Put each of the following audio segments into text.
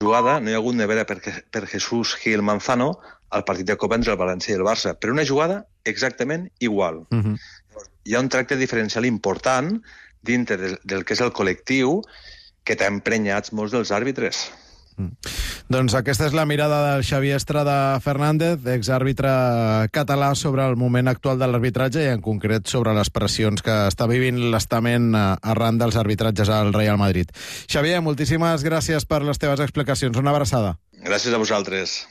jugada no hi ha hagut nevera per Jesús Gil Manzano al partit de Copa entre el València i el Barça, però una jugada exactament igual. Hi ha un tracte diferencial important dintre del que és el col·lectiu que t'ha emprenyats molts dels àrbitres. Doncs aquesta és la mirada del Xavier Estrada Fernández, exàrbitre català, sobre el moment actual de l'arbitratge i en concret sobre les pressions que està vivint l'estament arran dels arbitratges al Real Madrid. Xavier, moltíssimes gràcies per les teves explicacions. Una abraçada. Gràcies a vosaltres.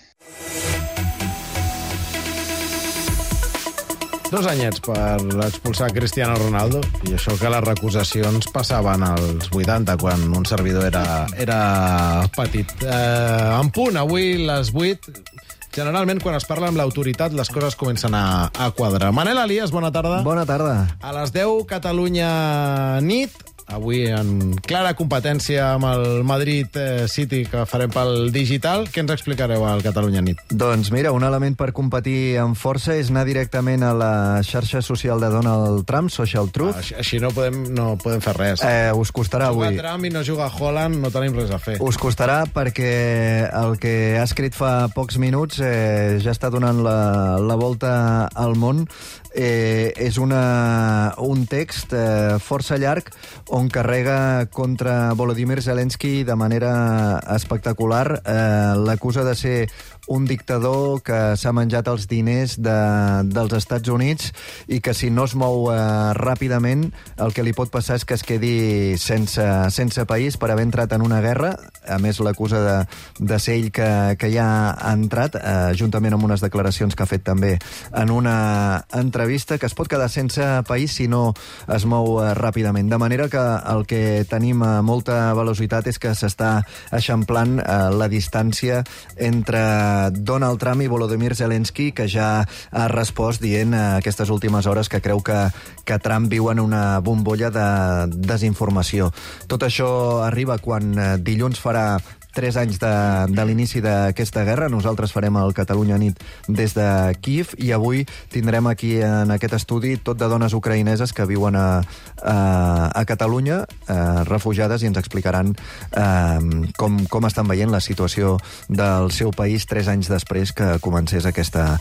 2 anyets per expulsar Cristiano Ronaldo, i això que les recusacions passaven als 80, quan un servidor era petit. En punt, avui les 8. Generalment, quan es parla amb l'autoritat, les coses comencen a quadrar. Manel Elias, bona tarda. Bona tarda. A les 10, Catalunya nit. Avui en clara competència amb el Madrid City, que farem pel digital. Què ens explicareu al Catalunya nit? Doncs mira, un element per competir amb força és anar directament a la xarxa social de Donald Trump, Social Truth. Així no podem fer res. Us costarà avui. Juga Trump i no juga Holland, no tenim res a fer. Us costarà perquè el que ha escrit fa pocs minuts ja està donant la volta al món. És un text força llarg on carrega contra Volodymyr Zelensky de manera espectacular. L'acusa de ser un dictador que s'ha menjat els diners dels Estats Units i que si no es mou ràpidament el que li pot passar és que es quedi sense país per haver entrat en una guerra. A més, l'acusa de ser ell que ja ha entrat, juntament amb unes declaracions que ha fet també en una entrevista, que es pot quedar sense país si no es mou ràpidament. De manera que el que tenim a molta velocitat és que s'està eixamplant la distància entre Donald Trump i Volodymyr Zelensky, que ja ha respost dient aquestes últimes hores que creu que Trump viu en una bombolla de desinformació. Tot això arriba quan dilluns farà 3 anys de l'inici d'aquesta guerra. Nosaltres farem el Catalunya nit des de Kíev i avui tindrem aquí en aquest estudi tot de dones ucraïneses que viuen a Catalunya, refugiades, i ens explicaran com estan veient la situació del seu país 3 anys després que comencés aquesta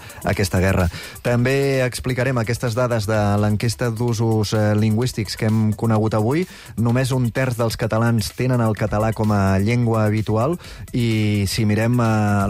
guerra. També explicarem aquestes dades de l'enquesta d'usos lingüístics que hem conegut avui. Només 1/3 dels catalans tenen el català com a llengua habitual, i si mirem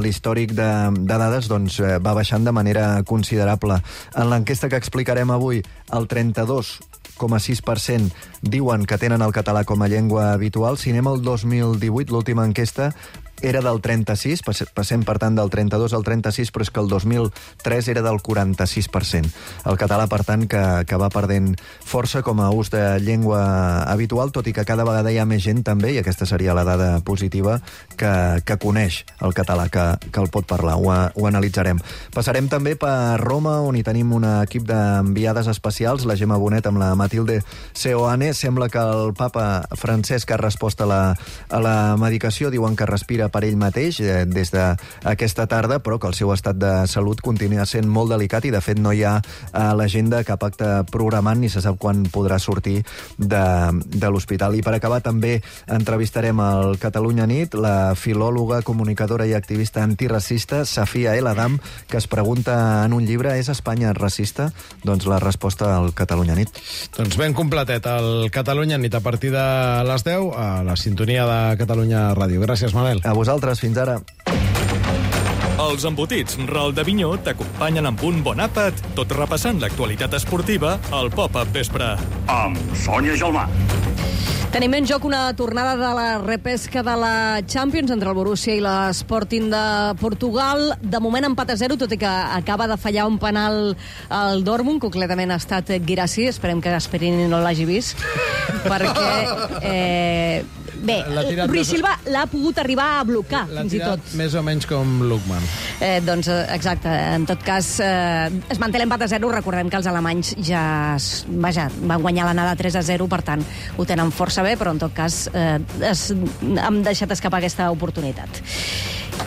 l'històric de dades, doncs va baixant de manera considerable. En l'enquesta que explicarem avui, el 32,6% diuen que tenen el català com a llengua habitual. Si anem al 2018, l'última enquesta era del 36, passem per tant del 32 al 36, però és que el 2003 era del 46%. El català, per tant, que va perdent força com a ús de llengua habitual, tot i que cada vegada hi ha més gent també, i aquesta seria la dada positiva, que coneix el català, que el pot parlar. Ho analitzarem. Passarem també per Roma, on hi tenim un equip d'enviades especials, la Gemma Bonet amb la Matilde Seoane. Sembla que el papa Francesc ha respost a la medicació, diuen que respira per ell mateix des d'aquesta tarda, però que el seu estat de salut continua sent molt delicat i, de fet, no hi ha a l'agenda cap acte programat ni se sap quan podrà sortir de l'hospital. I per acabar també entrevistarem al Catalunya nit la filòloga, comunicadora i activista antiracista Safia El Adam, que es pregunta en un llibre: és Espanya racista? Doncs la resposta al Catalunya nit. Doncs ben completet el Catalunya nit a partir de les 10 a la sintonia de Catalunya Ràdio. Gràcies, Manel. A vosaltres, fins ara. Els embotits Ral de Vinyó t'acompanyen amb un bon àpat, tot repassant l'actualitat esportiva al Pop-Up Vespre. Amb Sònia Gelmà. Tenim en joc una tornada de la repesca de la Champions entre el Borussia i l'Sporting de Portugal. De moment empat a 0, tot i que acaba de fallar un penal al Dortmund, concretament ha estat Guirassy. Esperem que Gasperini no l'hagi vist, perquè... Bé, Rui Silva l'ha pogut arribar a blocar, fins i tot. Més o menys com Lukman. Doncs, exacte. En tot cas, es manté l'empat a 0. Recordem que els alemanys van guanyar l'anada 3 a 0, per tant, ho tenen força bé, però en tot cas han deixat escapar aquesta oportunitat.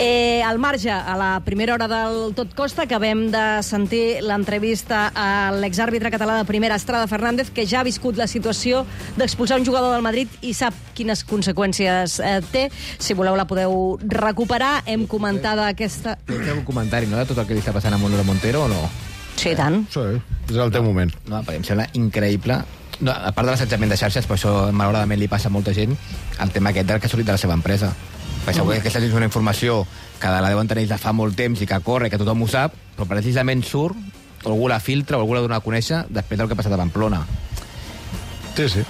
Al marge, a la primera hora del Tot Costa, acabem de sentir l'entrevista a l'exàrbitre català de primera, Estrada Fernández, que ja ha viscut la situació d'expulsar un jugador del Madrid i sap quines conseqüències té. Si voleu la podeu recuperar. Hem comentat aquesta... Té un comentari, no?, de tot el que li està passant a Manolo Montero, o no? Sí, tant. Sí, és el teu moment. No, perquè em sembla increïble. No, a part de l'assetjament de xarxes, per això malauradament li passa a molta gent, el tema aquest del que ha sortit de la seva empresa. Perquè segur que aquesta és una informació que la deuen tenir de fa molt temps i que corre, que tothom ho sap, però precisament surt, o algú la filtra, o algú la dona a conèixer després del que ha passat a Pamplona. Sí.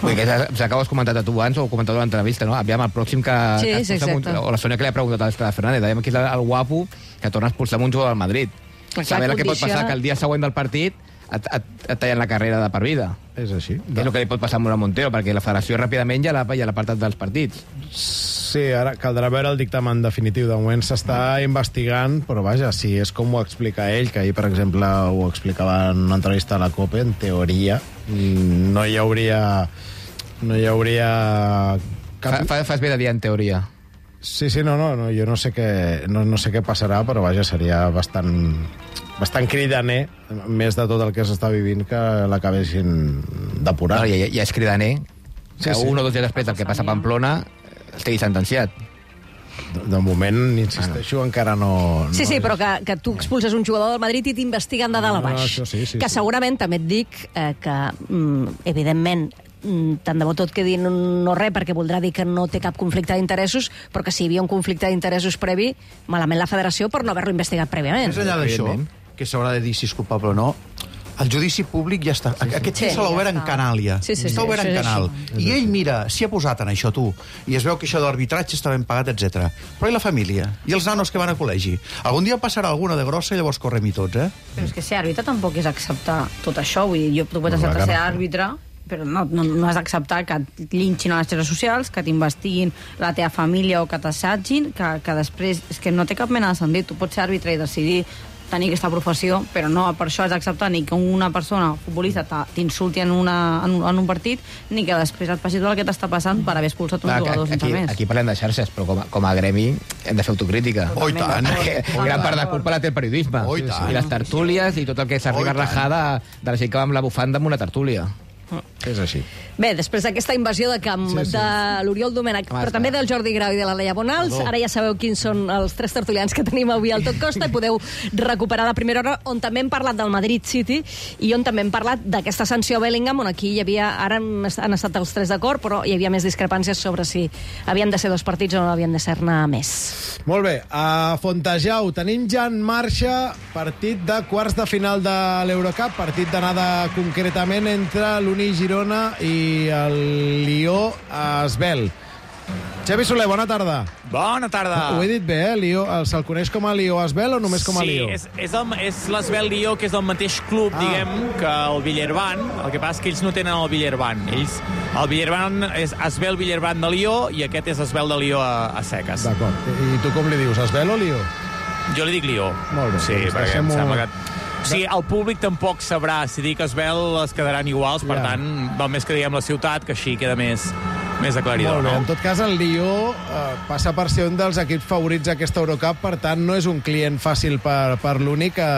Vull dir que s'acaba comentat a tu abans, o comentat a l'entrevista, no? Aviam, el pròxim que... Sí, exacte. O la Sònia que li ha preguntat a l'Estrada Fernández, aviam qui és el guapo que torna a expulsar un jugador del Madrid. Saber el que pot passar que el dia següent del partit et tallen la carrera de per vida. És així. És el que li pot passar a Montero, perquè la federació ràpidament ja l'ha apartat dels partits. Sí, ara caldrà veure el dictamen definitiu. De moment s'està investigant, però vaja, si és com ho explica ell, que ahir, per exemple, ho explicava en una entrevista a la COPE, en teoria no hi hauria cap... Fas bé de dir en teoria. Sí, no, jo no sé què passarà, però vaja, seria bastant cridaner, més de tot el que s'està vivint, que l'acabessin depurant. Ja és cridaner que un o dos dies després del que passa a Pamplona estigui sentenciat. De moment, insisteixo, encara no... Sí, però que tu expulses un jugador del Madrid i t'investiguen de dalt a baix. Sí. Segurament, també et dic, que, evidentment, tant de bo tot quedi no res, perquè voldrà dir que no té cap conflicte d'interessos, però que si hi havia un conflicte d'interessos previ, malament la federació per no haver-lo investigat prèviament. Més enllà d'això, que s'haurà de dir si és culpable o no, el judici públic ja està... Aquest ja s'ha obert en Canàlia. Està obert en Canal. I ell mira, s'hi ha posat en això, tu, i es veu que això de l'arbitratge està ben pagat, etc. Però i la família? I els nanos que van a col·legi? Algun dia passarà alguna de grossa i llavors correm-hi tots, eh? Però és que ser àrbitre tampoc és acceptar tot això. Vull dir, tu pots acceptar ser àrbitre, però no has d'acceptar que et linxin a les xarxes socials, que t'investiguin la teva família o que t'assagin, que després... És que no té cap mena de sentit. Tu pots ser àrbitre i decidir tenir aquesta professió, però no per això has d'acceptar ni que una persona futbolista t'insulti en un partit, ni que després et passi tot el que t'està passant per haver expulsat un jugador sense més. Aquí parlem de xarxes, però com a gremi hem de fer autocrítica. Oh, i tant! Gran part de culpa la té el periodisme. Oh, i tant! I les tertúlies i tot el que s'arriba a rajar de la gent que va amb la bufanda amb una tertúlia. És així. Bé, després d'aquesta invasió de camp de l'Oriol Domènech, però també del Jordi Grau i de la Leia Bonals, ara ja sabeu quins són els tres tertulians que tenim avui al Tot Costa i podeu recuperar la primera hora, on també hem parlat del Madrid City i on també hem parlat d'aquesta sanció a Bellingham, on aquí hi havia, ara han estat els tres d'acord, però hi havia més discrepàncies sobre si havien de ser 2 partits o no havien de ser-ne més. Molt bé, a Fontejau tenim ja en marxa partit de quarts de final de l'Eurocup, partit d'anada concretament entre l'Uni Girona i el Lió Asbel. Xavi Soler, bona tarda. Bona tarda. Ho he dit bé, Lió? Se'l coneix com a Lió Asbel o només com a Lió? Sí, és l'Asbel Lió, que és del mateix club, diguem, que el Villerban. El que passa és que ells no tenen el Villerban. El Villerban és Asbel Villerban de Lió i aquest és Asbel de Lió a seques. D'acord. I tu com li dius, Asbel o Lió? Jo li dic Lió. Molt bé. Sí, perquè em sembla que... Sí, el públic tampoc sabrà. Si dic Asbel es quedaran iguals, per tant, val més que diguem la ciutat, que així queda més aclaridor. Molt bé, no? en tot cas el Lió passa per ser un dels equips favorits d'aquesta Eurocup, per tant no és un client fàcil per l'Uni, que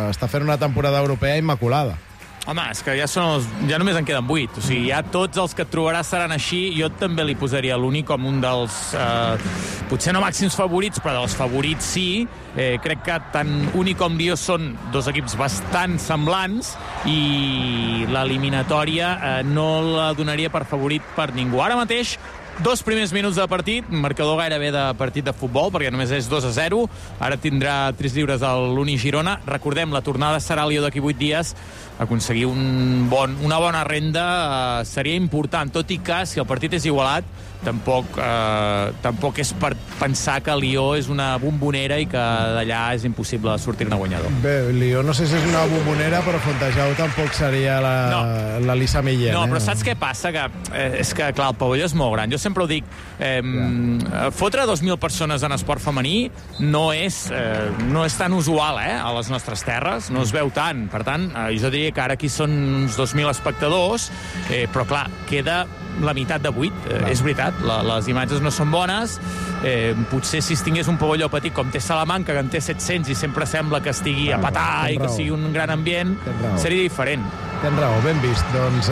està fent una temporada europea immaculada. Home, és que ja només en queden 8. O sigui, ja tots els que et trobaràs seran així. Jo també li posaria l'Uni com un dels, potser no màxims favorits, però dels favorits sí. Crec que tant Uni com Lió són 2 equips bastant semblants i l'eliminatòria no la donaria per favorit per ningú. Ara mateix, 2 primers minuts de partit, marcador gairebé de partit de futbol, perquè només és 2-0. Ara tindrà 3 lliures a l'Uni Girona. Recordem, la tornada serà a Lió d'aquí 8 dies. Aconseguir una bona renda seria important, tot i que si el partit és igualat tampoc és per pensar que Lió és una bombonera i que d'allà és impossible sortir-ne guanyador. Bé, Lió no sé si és una bombonera, però Fontejau tampoc seria la Lisa Millén. No, però saps què passa? És que, clar, el pavelló és molt gran. Jo sempre ho dic, fotre 2.000 persones en esport femení no és tan usual a les nostres terres, no es veu tant. Per tant, jo diria que ara aquí són uns 2.000 espectadors, però clar, queda la meitat de buit. És veritat, les imatges no són bones. Potser si es tingués un pavelló petit com té Salamanca, que en té 700 i sempre sembla que estigui a petar i que sigui un gran ambient, seria diferent. Tens raó, ben vist. Doncs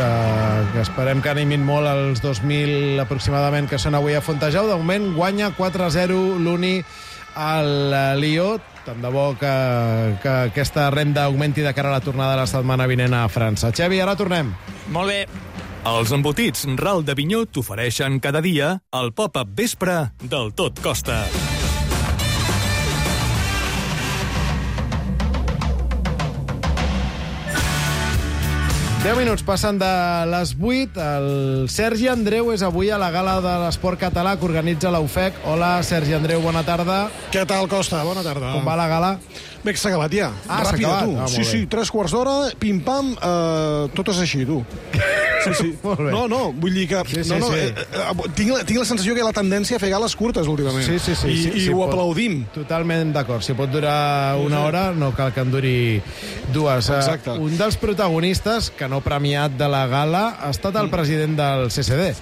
que esperem que animin molt els 2.000 aproximadament que són avui a Fontejau. De moment guanya 4-0 l'Uni al Lió. Tant de bo que aquesta renda augmenti de cara a la tornada de la setmana vinent a França. Xavi, ara tornem. Molt bé. Els embotits Ral de Vinyó t'ofereixen cada dia el pop-up vespre del Tot Costa. Deu minuts passen de les 8. El Sergi Andreu és avui a la gala de l'esport català que organitza la UFEC. Hola, Sergi Andreu, bona tarda. Què tal, Costa? Bona tarda. Com va la gala? Bé, s'ha acabat ja. S'ha acabat? Tu. Sí, 3/4 d'hora, pim-pam, tot és així, tu. Sí. No, vull dir que... Tinc la sensació que hi ha la tendència a fer gales curtes últimament. Sí. I ho aplaudim. Totalment d'acord. Si pot durar una hora, no cal que en duri dues. Exacte. Un dels protagonistes, que no premiat de la gala, ha estat el president del CCD.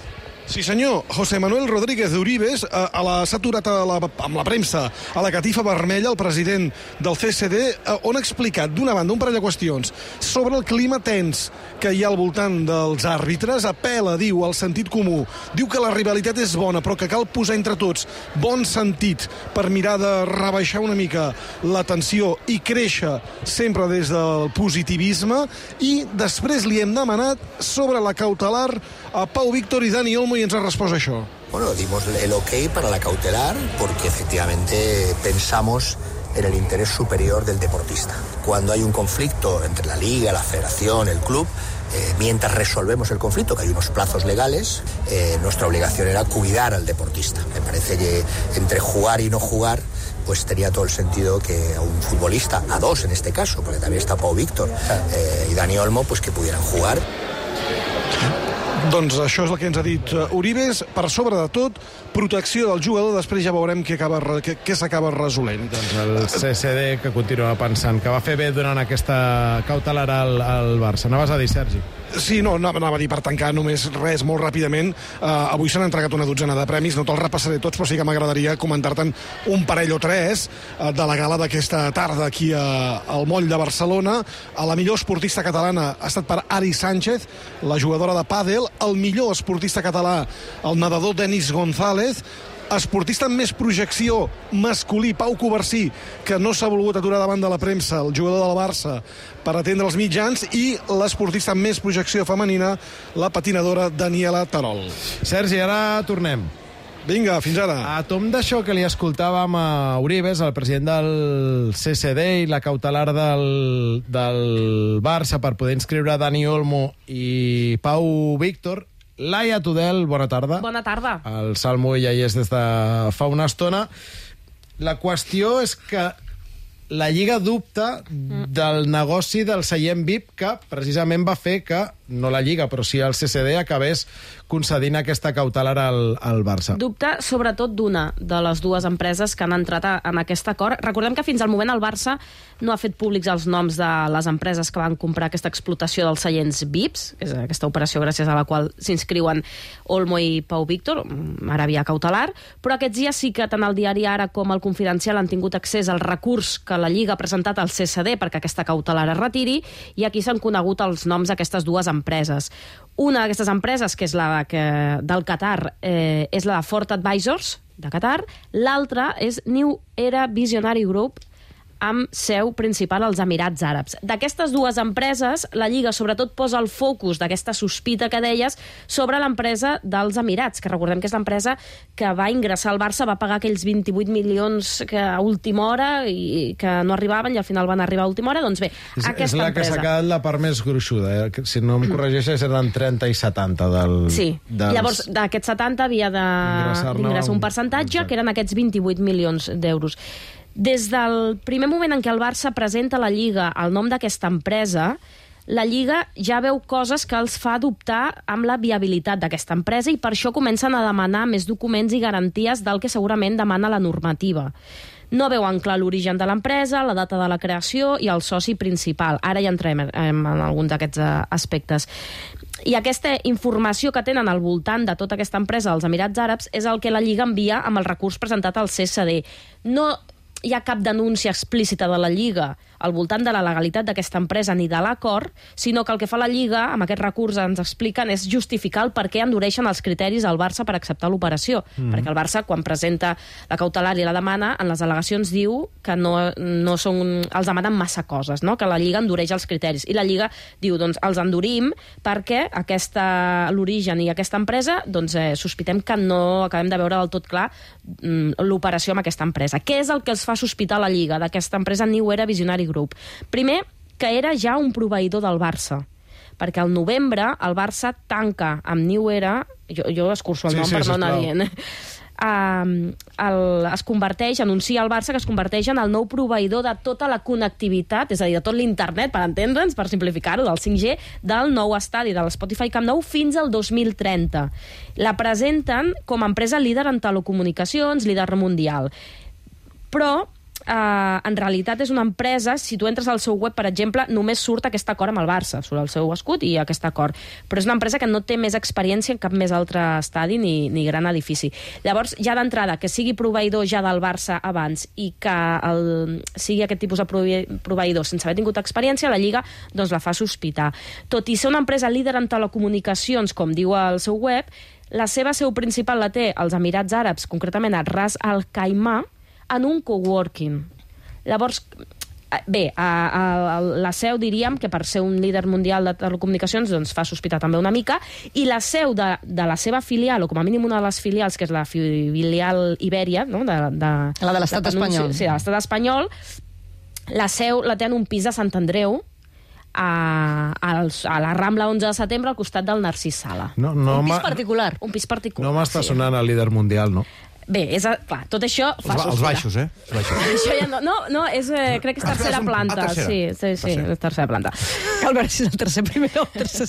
Sí, senyor. José Manuel Rodríguez de Uribes s'ha aturat amb la premsa a la catifa vermella, el president del CCD, on ha explicat, d'una banda, un parell de qüestions sobre el clima tens que hi ha al voltant dels àrbitres. Apel·la, diu, al sentit comú. Diu que la rivalitat és bona, però que cal posar entre tots bon sentit per mirar de rebaixar una mica la tensió i créixer sempre des del positivisme. I després li hem demanat sobre la cautelar a Pau Víctor y Dani Olmo y ens ha respost això. Bueno, dimos el ok para la cautelar porque efectivamente pensamos en el interés superior del deportista. Cuando hay un conflicto entre la liga, la federación, el club, mientras resolvemos el conflicto, que hay unos plazos legales, nuestra obligación era cuidar al deportista. Me parece que entre jugar y no jugar pues tenía todo el sentido que a un futbolista, a dos en este caso, porque también está Pau Víctor y Dani Olmo, pues que pudieran jugar. Doncs això és el que ens ha dit Uribes. Per sobre de tot, protecció del jugador, després ja veurem què s'acaba resolent. Doncs el CCD, que continua pensant que va fer bé durant aquesta cautelar al Barça. Anaves a dir, Sergi? Sí, no, anava a dir per tancar només res, molt ràpidament. Avui s'han entregat una dotzena de premis, no te'ls repassaré tots, però sí que m'agradaria comentar-te'n un parell o tres de la gala d'aquesta tarda aquí al Moll de Barcelona. La millor esportista catalana ha estat per Ari Sánchez, la jugadora de pàdel. El millor esportista català, el nedador Denis González. Esportista amb més projecció masculí, Pau Covarsí, que no s'ha volgut aturar davant de la premsa, el jugador del Barça, per atendre els mitjans, i l'esportista amb més projecció femenina, la patinadora Daniela Terol. Sergi, ara tornem. Vinga, fins ara. A tom d'això que li escoltàvem a Uribes, el president del CCD, i la cautelar del Barça per poder inscriure Dani Olmo i Pau Víctor, Laia Tudel, bona tarda. Bona tarda. El Salmo ja hi és des de fa una estona. La qüestió és que la Lliga dubta del negoci del seient VIP, que precisament va fer que, no la Lliga, però sí el CCD, acabés concedint aquesta cautelar al Barça. Dubta sobretot d'una de les dues empreses que han entrat en aquest acord. Recordem que fins al moment el Barça no ha fet públics els noms de les empreses que van comprar aquesta explotació dels seients VIPs, que és aquesta operació gràcies a la qual s'inscriuen Olmo i Pau Víctor, ara via cautelar, però aquests dies sí que tant el diari Ara com el Confidencial han tingut accés al recurs que la Lliga ha presentat al CCD perquè aquesta cautelar es retiri, i aquí s'han conegut els noms d'aquestes dues empreses. Una d'aquestes empreses, que és la del Qatar, és la de Ford Advisors, de Qatar. L'altra és New Era Visionary Group, amb seu principal als Emirats Àrabs. D'aquestes dues empreses, la Lliga sobretot posa el focus d'aquesta sospita que deies sobre l'empresa dels Emirats, que recordem que és l'empresa que va ingressar al Barça, va pagar aquells 28 milions que a última hora i que no arribaven i al final van arribar a última hora. Doncs bé, és la que s'ha quedat la part més gruixuda. Si no em corregeixes, eren 30 i 70 Sí, llavors d'aquests 70 havia d'ingressar un percentatge, que eren aquests 28 milions d'euros. Des del primer moment en què el Barça presenta a la Lliga el nom d'aquesta empresa, la Lliga ja veu coses que els fa dubtar amb la viabilitat d'aquesta empresa, i per això comencen a demanar més documents i garanties del que segurament demana la normativa. No veuen clar l'origen de l'empresa, la data de la creació i el soci principal. Ara ja entrem en alguns d'aquests aspectes. I aquesta informació que tenen al voltant de tota aquesta empresa dels Emirats Àrabs és el que la Lliga envia amb el recurs presentat al CSD. No hi ha cap denúncia explícita de la Lliga al voltant de la legalitat d'aquesta empresa ni de l'acord, sinó que el que fa la Lliga, amb aquest recurs ens expliquen, és justificar el per què endureixen els criteris al Barça per acceptar l'operació. Perquè el Barça, quan presenta la cautelar i la demana, en les al·legacions diu que no són, els demanen massa coses, no? Que la Lliga endureix els criteris. I la Lliga diu, doncs, els endurim perquè l'origen i aquesta empresa, doncs, sospitem que no acabem de veure del tot clar l'operació amb aquesta empresa. Què és el que els fa sospitar la Lliga d'aquesta empresa New Era Visionary Group? Primer, que era ja un proveïdor del Barça, perquè al novembre el Barça tanca amb New Era, jo escurço el nom per no anar dient, es converteix, anuncia al Barça que es converteix en el nou proveïdor de tota la connectivitat, és a dir, de tot l'internet, per entendre'ns, per simplificar-ho, del 5G, del nou estadi, de l'Spotify Camp Nou, fins al 2030. La presenten com a empresa líder en telecomunicacions, líder mundial. Però en realitat és una empresa, si tu entres al seu web, per exemple, només surt aquest acord amb el Barça, surt el seu escut i aquest acord. Però és una empresa que no té més experiència en cap més altre estadi ni gran edifici. Llavors, ja d'entrada, que sigui proveïdor ja del Barça abans i que sigui aquest tipus de proveïdor sense haver tingut experiència, la Lliga doncs la fa sospitar. Tot i ser una empresa líder en telecomunicacions, com diu al seu web, la seva seu principal la té als Emirats Àrabs, concretament a Ras Al Khaimah, en un coworking. Llavors, bé, la seu diríem que per ser un líder mundial de telecomunicacions doncs fa sospitar també una mica, i la seu de la seva filial, o com a mínim una de les filials, que és la filial Ibèria, no? La de l'estat espanyol. Sí, de l'estat espanyol, la seu la té en un pis de Sant Andreu, a la Rambla 11 de setembre, al costat del Narcís Sala. Un pis particular. Un pis particular. No m'està sonant el líder mundial, no? Bé, clar, tot això fa sospitar. Els baixos, Això ja no, crec que és tercera planta. Sí, és tercera planta. Cal veure si és el tercer primer o el tercer.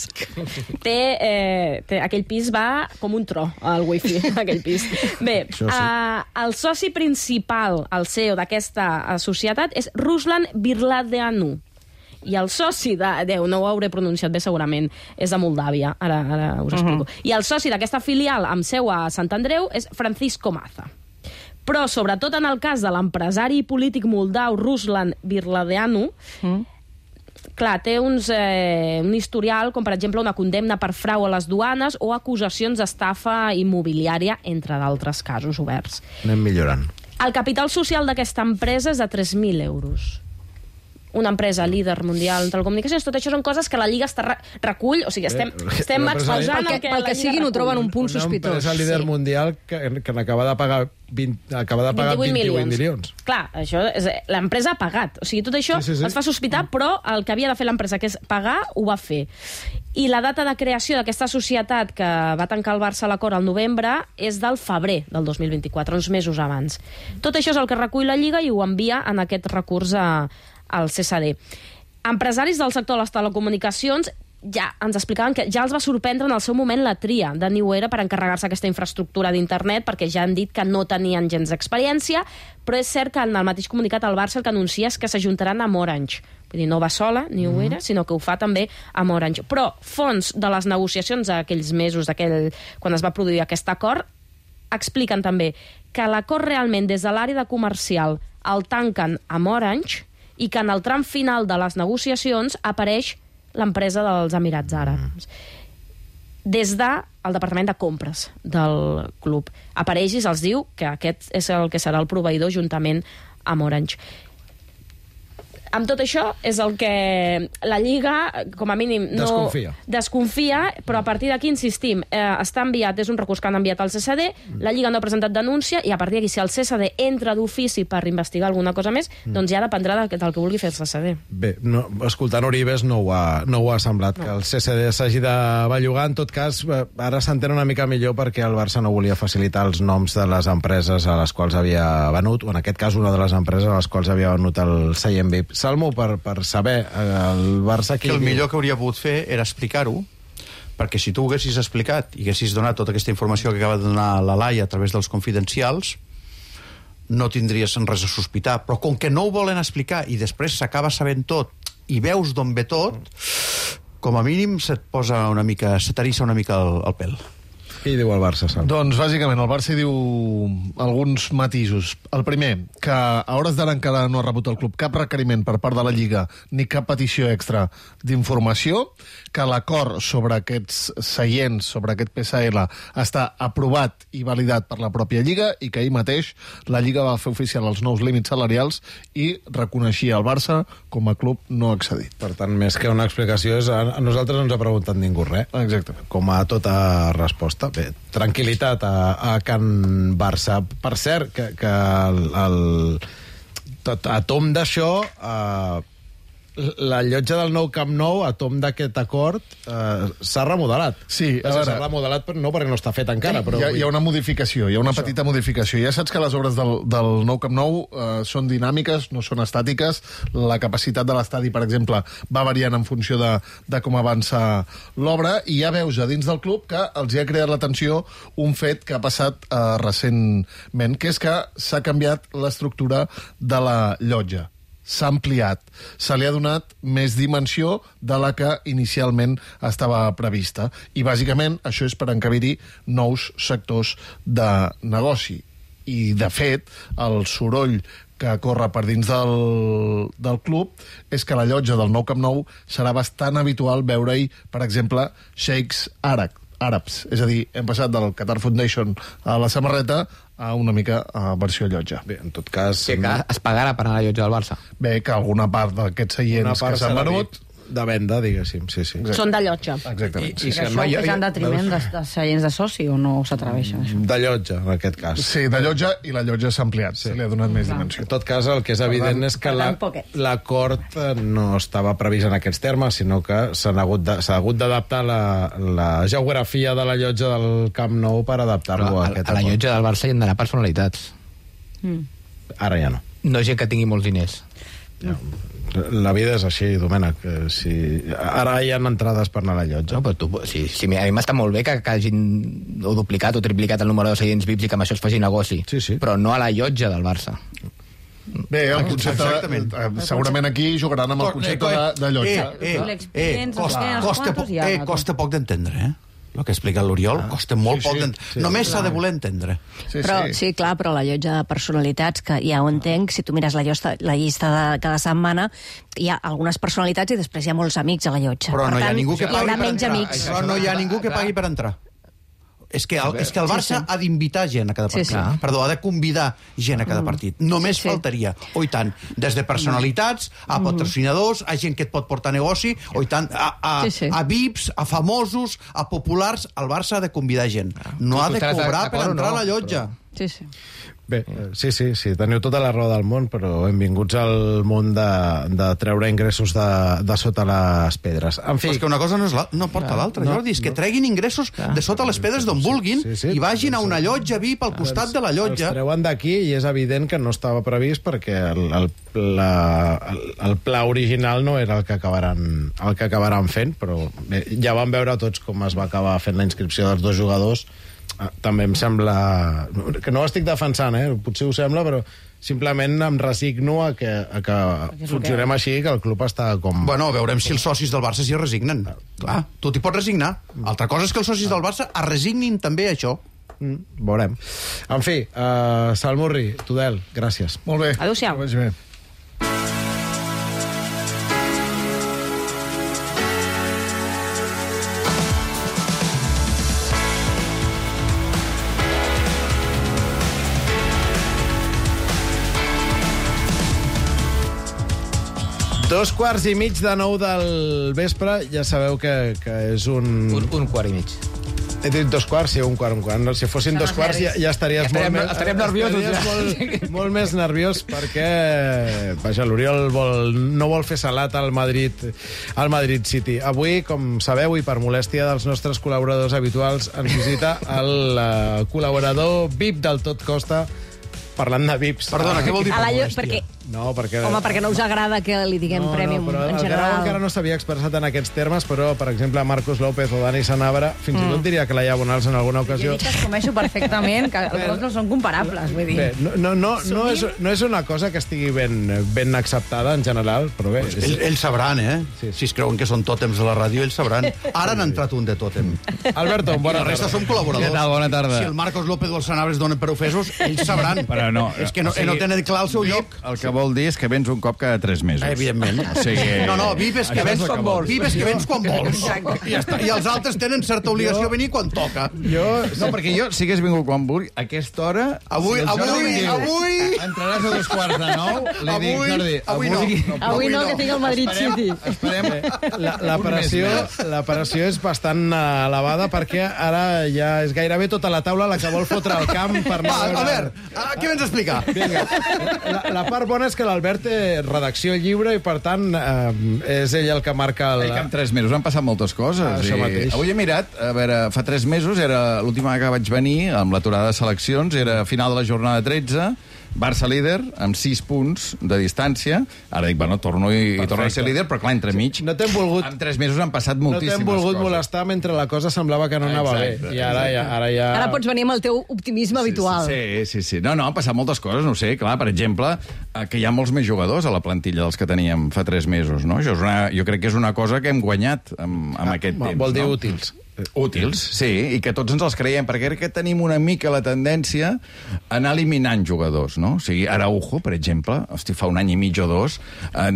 Aquell pis va com un tro, al wifi, aquell pis. Bé, el soci principal, el CEO d'aquesta societat, és Ruslan Birladeanu. I el soci no ho hauré pronunciat bé segurament, és de Moldàvia, ara us explico. I el soci d'aquesta filial amb seu a Sant Andreu és Francisco Maza. Però, sobretot en el cas de l'empresari polític moldau Ruslan Birladeanu, clar, té un historial, com per exemple una condemna per frau a les duanes o acusacions d'estafa immobiliària, entre d'altres casos oberts. Anem millorant. El capital social d'aquesta empresa és de 3.000 euros. Una empresa líder mundial en telecomunicacions, tot això són coses que la Lliga recull, o sigui, estem exposant el que la Lliga sigui no troben un punt sospitós. Una empresa líder mundial que n'acaba de pagar 28 milions. Clar, l'empresa ha pagat. O sigui, tot això es fa sospitar, però el que havia de fer l'empresa, que és pagar, ho va fer. I la data de creació d'aquesta societat que va tancar el Barça a l'acord al novembre és del febrer del 2024, uns mesos abans. Tot això és el que recull la Lliga i ho envia en aquest recurs al CSD. Empresaris del sector de les telecomunicacions ja ens explicaven que ja els va sorprendre en el seu moment la tria de New Era per encarregar-se aquesta infraestructura d'internet, perquè ja han dit que no tenien gens d'experiència, però és cert que en el mateix comunicat al Barça el que anuncia és que s'ajuntaran amb Orange. Vull dir, no va sola, New Era, sinó que ho fa també amb Orange. Però fons de les negociacions d'aquells mesos, quan es va produir aquest acord, expliquen també que l'acord realment des de l'àrea de comercial el tanquen amb Orange i que en el tram final de les negociacions apareix l'empresa dels Emirats Àrabs. Des del departament de compres del club. Apareix i se'ls diu que aquest és el que serà el proveïdor juntament amb Orange. Amb tot això és el que la Lliga, com a mínim, desconfia, però a partir d'aquí, insistim, està enviat, és un recurs que han enviat al CSD, la Lliga no ha presentat denúncia, i a partir d'aquí, si el CSD entra d'ofici per investigar alguna cosa més, doncs ja dependrà del que vulgui fer el CSD. Bé, escoltant Oribes no ho ha semblat, que el CSD s'hagi de bellugar. En tot cas, ara s'entén una mica millor perquè el Barça no volia facilitar els noms de les empreses a les quals havia venut, o en aquest cas una de les empreses a les quals havia venut el seient VIP. Salmo, per saber el Barça... Que el millor que hauria pogut fer era explicar-ho, perquè si tu ho haguessis explicat i haguessis donat tota aquesta informació que acaba de donar la Laia a través dels confidencials, no tindries res a sospitar. Però com que no ho volen explicar i després s'acaba sabent tot i veus d'on ve tot, com a mínim se t'eriça una mica el pèl. Què hi diu el Barça, Sam? Doncs, bàsicament, el Barça hi diu alguns matisos. El primer, que a hores d'ara encara no ha rebut el club cap requeriment per part de la Lliga ni cap petició extra d'informació, que l'acord sobre aquests seients, sobre aquest PSL, està aprovat i validat per la pròpia Lliga i que ahir mateix la Lliga va fer oficial els nous límits salarials i reconeixia el Barça com a club no accedit. Per tant, més que una explicació, a nosaltres no ens ha preguntat ningú res. Exactament. Com a tota resposta. Bé, tranquil·litat a Can Barça. Per cert, que a tom d'això, la llotja del nou Camp Nou, a tom d'aquest acord, s'ha remodelat. Sí, s'ha remodelat, però no perquè no està fet encara. Però hi ha una modificació, hi ha una petita modificació. Ja saps que les obres del nou Camp Nou són dinàmiques, no són estàtiques. La capacitat de l'estadi, per exemple, va variant en funció de com avança l'obra, i ja veus a dins del club que els hi ha creat l'atenció un fet que ha passat recentment, que és que s'ha canviat l'estructura de la llotja. S'ha ampliat, se li ha donat més dimensió de la que inicialment estava prevista. I, bàsicament, això és per encabir-hi nous sectors de negoci. I, de fet, el soroll que corre per dins del club és que a la llotja del nou Camp Nou serà bastant habitual veure-hi, per exemple, xeics àrabs. És a dir, hem passat del Qatar Foundation a la samarreta a una mica versió llotja. Bé, en tot cas... Que es pagarà per anar a la llotja del Barça. Bé, que alguna part d'aquests seients que s'han venut... De venda, diguéssim, sí. Són de llotja. Exactament. I això és en detriment de seients de soci o no s'atreveixen, això? De llotja, en aquest cas. Sí, de llotja, i la llotja s'ha ampliat, se li ha donat més dimensió. En tot cas, el que és evident és que l'acord no estava previst en aquests termes, sinó que s'ha hagut d'adaptar la geografia de la llotja del Camp Nou per adaptar-lo a aquest acord. A la llotja del Barça hi han d'anar personalitats. Ara ja no. No gent que tingui molts diners. La vida és així, Domènec. Ara hi ha entrades per anar a la llotja. No, però a mi m'està molt bé que hagin o duplicat o triplicat el número de seients VIPs i que amb això es faci negoci. Sí. Però no a la llotja del Barça. Bé, el concepte... Segurament aquí jugaran amb el concepte de llotja. Costa poc d'entendre, El que explica l'Oriol costa molt poc d'entendre. Només s'ha de voler entendre. Sí, clar, però la llotja de personalitats, que ja ho entenc, si tu mires la llista de cada setmana, hi ha algunes personalitats i després hi ha molts amics a la llotja. Però no hi ha ningú que pagui per entrar. Però no hi ha ningú que pagui per entrar. És que el Barça ha d'invitar gent a cada partit. Perdó, ha de convidar gent a cada partit. Només faltaria. O i tant, des de personalitats, a patrocinadors, a gent que et pot portar negoci, o i tant, a VIPs, a famosos, a populars. El Barça ha de convidar gent. No ha de cobrar per entrar a la llotja. Sí. Bé, sí, teniu tota la raó del món, però benvinguts al món de treure ingressos de sota les pedres. En fi... Però és que una cosa no porta l'altra, Jordi, és que treguin ingressos de sota les pedres d'on vulguin i vagin a una llotja VIP al costat de la llotja. Els treuen d'aquí i és evident que no estava previst perquè el pla original no era el que acabaran fent, però bé, ja vam veure tots com es va acabar fent la inscripció dels dos jugadors. També em sembla... Que no ho estic defensant, potser ho sembla, però simplement em resigno a que funcionem així, que el club està com... Bueno, veurem si els socis del Barça s'hi resignen. Clar, tu t'hi pots resignar. Altra cosa és que els socis del Barça es resignin també a això. Veurem. En fi, Salmurri, Tudel, gràcies. Molt bé. Adéu-siau. Que vagi bé. Dos quarts i mig de 9 del vespre, ja sabeu que és un... Un quart i mig. He dit dos quarts, sí, un quart. Si fossin dos quarts ja estaries estaríem nerviosos. Molt més nerviós perquè l'Oriol no vol fer salat al Madrid City. Avui, com sabeu, i per molèstia dels nostres col·laboradors habituals, ens visita el col·laborador VIP del Tot Costa, parlant de VIPs. Perdona, què vol dir per molèstia? Perquè No, perquè... Home, perquè no us agrada que li diguem Premium però en el general. Guerau encara no s'havia expressat en aquests termes, però, per exemple, Marcos López o Dani Sanabra, fins i tot diria que la Laia Bonals en alguna ocasió... Jo dic que es coneixo perfectament, que els dos no són comparables, vull dir. Bé, no és una cosa que estigui ben acceptada en general, però bé... Ells sabran, Si es creuen que són tòtems de la ràdio, ells sabran. Ara n'ha entrat un de tòtem. Alberto, bona tarda. La resta som col·laboradors. Què tal? Bona tarda. Si el Marcos López o el Sanabra es donen per ofesos, ells sabran. Però no. És que no tenen clar el seu lloc. El que vol dir és que vens un cop cada 3 mesos. Evidentment. O sigui... No, VIP és que vens quan vols. VIP és que vens quan vols. I ja està. I els altres tenen certa obligació a venir quan toca. No, perquè jo, si hagués vingut quan vulgui, a aquesta hora... Avui... Entraràs a 2:45, li dic, Jordi... Avui no, que tinc el Madrid City. La pressió és bastant elevada perquè ara ja és gairebé tota la taula la que vol fotre al camp per anar a veure... A veure, què vens a explicar? Vinga. La part bona és que l'Albert té redacció lliure i, per tant, és ell el que marca el... En 3 mesos han passat moltes coses. Això mateix. Avui he mirat, a veure, fa 3 mesos, era l'última que vaig venir, amb l'aturada de seleccions, era final de la jornada 13, Barça líder, amb 6 punts de distància. Ara dic, bueno, torno a ser líder, però clar, entremig... No t'hem volgut... En 3 mesos han passat moltíssimes coses. No t'hem volgut molestar mentre la cosa semblava que no anava bé. I ara ja... Ara pots venir amb el teu optimisme habitual. Sí. No, han passat moltes coses, no ho sé. Clar, per exemple, que hi ha molts més jugadors a la plantilla dels que teníem fa 3 mesos, no? Jo crec que és una cosa que hem guanyat amb aquest temps. Vol dir útils. Útils, sí, i que tots ens els creiem, perquè crec que tenim una mica la tendència a anar eliminant jugadors, no? O sigui, Araujo, per exemple, fa un any i mig o 2,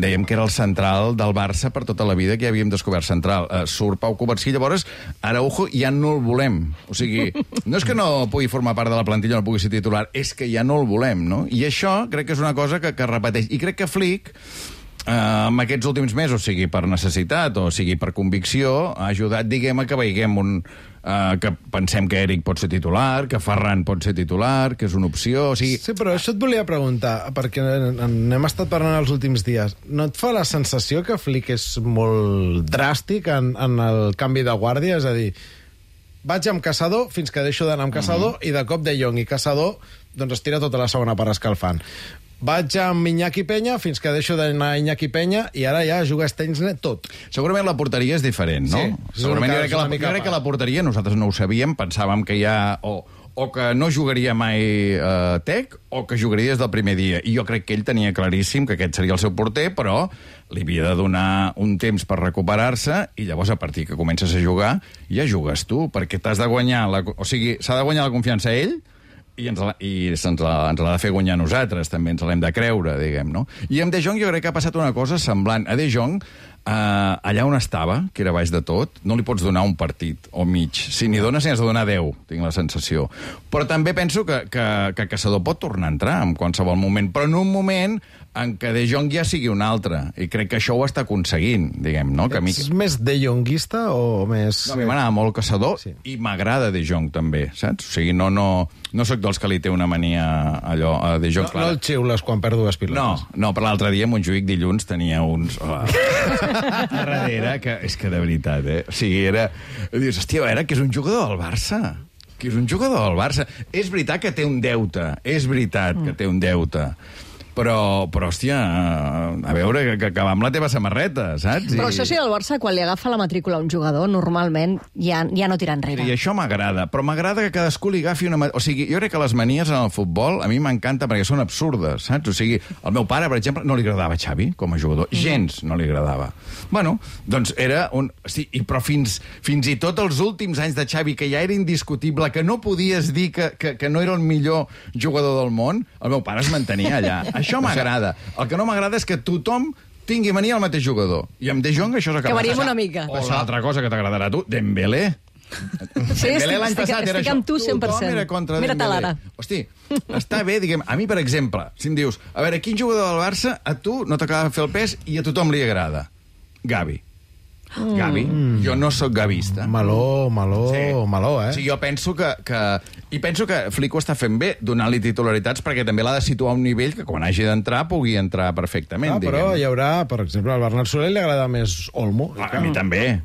dèiem que era el central del Barça per tota la vida, que ja havíem descobert central. Surt Pau Covarsí, llavors Araujo ja no el volem. O sigui, no és que no pugui formar part de la plantilla, no pugui ser titular, és que ja no el volem, no? I això crec que és una cosa que repeteix. I crec que Flick, en aquests últims mesos, sigui per necessitat o sigui per convicció, ha ajudat, diguem, a que veiguem que pensem que Eric pot ser titular, que Ferran pot ser titular, que és una opció... O sigui... Sí, però això et volia preguntar, perquè n'hem estat parlant els últims dies. No et fa la sensació que Flick és molt dràstic en el canvi de guàrdia? És a dir, vaig amb Caçador fins que deixo d'anar amb Caçador i de cop De Jong i Caçador doncs es tira tota la segona part escalfant. Vaig amb Iñaki Peña fins que deixo d'anar Iñaki Peña i ara ja juga Steinsner tot. Segurament la porteria és diferent, no? Sí, segurament jo crec que la porteria, nosaltres no ho sabíem, pensàvem que ja... O que no jugaria mai Tec, o que jugaria des del primer dia. I jo crec que ell tenia claríssim que aquest seria el seu porter, però li havia de donar un temps per recuperar-se i llavors, a partir que comences a jugar, ja jugues tu, perquè t'has de guanyar... O sigui, s'ha de guanyar la confiança a ell i ens l'ha de fer guanyar a nosaltres, també ens l'hem de creure, diguem, no? I amb De Jong jo crec que ha passat una cosa semblant. A De Jong, allà on estava, que era baix de tot, no li pots donar un partit o mig. Si n'hi dones, n'hi has de donar 10, tinc la sensació. Però també penso que Caçador pot tornar a entrar en qualsevol moment, però en un moment en què De Jong ja sigui un altre. I crec que això ho està aconseguint, diguem, no? Ets més De Jonguista o més... No, a mi m'agrada molt Caçador i m'agrada De Jong també, saps? O sigui, no sóc dels que li té una mania allò a De Jong. No el xiules quan perd dues pilotes. No, per l'altre dia Montjuïc dilluns tenia uns... a darrere, que és que de veritat, O sigui, dius, hòstia, a veure, que és un jugador del Barça. Que és un jugador del Barça. És veritat que té un deute. Però, hòstia, a veure, que acabar amb la teva samarreta, saps? Però això sí, el Barça, quan li agafa la matrícula a un jugador, normalment ja no tira enrere. I això m'agrada, però m'agrada que cadascú li agafi una... O sigui, jo crec que les manies en el futbol a mi m'encanta perquè són absurdes, saps? O sigui, el meu pare, per exemple, no li agradava Xavi com a jugador. Gens no li agradava. Bueno, doncs era un... Sí, però fins i tot els últims anys de Xavi, que ja era indiscutible, que no podies dir que no era el millor jugador del món, el meu pare es mantenia allà. Això m'agrada. El que no m'agrada és que tothom tingui mania al mateix jugador. I amb De Jong això s'ha acabat. Que variem una mica. O l'altra cosa que t'agradarà a tu, Dembélé. Sí, estic amb tu 100%. Mira-te l'ara. Hosti, està bé, diguem, a mi, per exemple, si em dius, a veure, quin jugador del Barça a tu no t'acaba de fer el pes i a tothom li agrada? Gavi. Gavi. Jo no sóc gavista. Maló, O sigui, jo penso que Flick ho està fent bé, donant-li titularitats, perquè també l'ha de situar a un nivell que quan hagi d'entrar pugui entrar perfectament. Però hi haurà, per exemple, al Bernat Soler li agrada més Olmo. A mi també.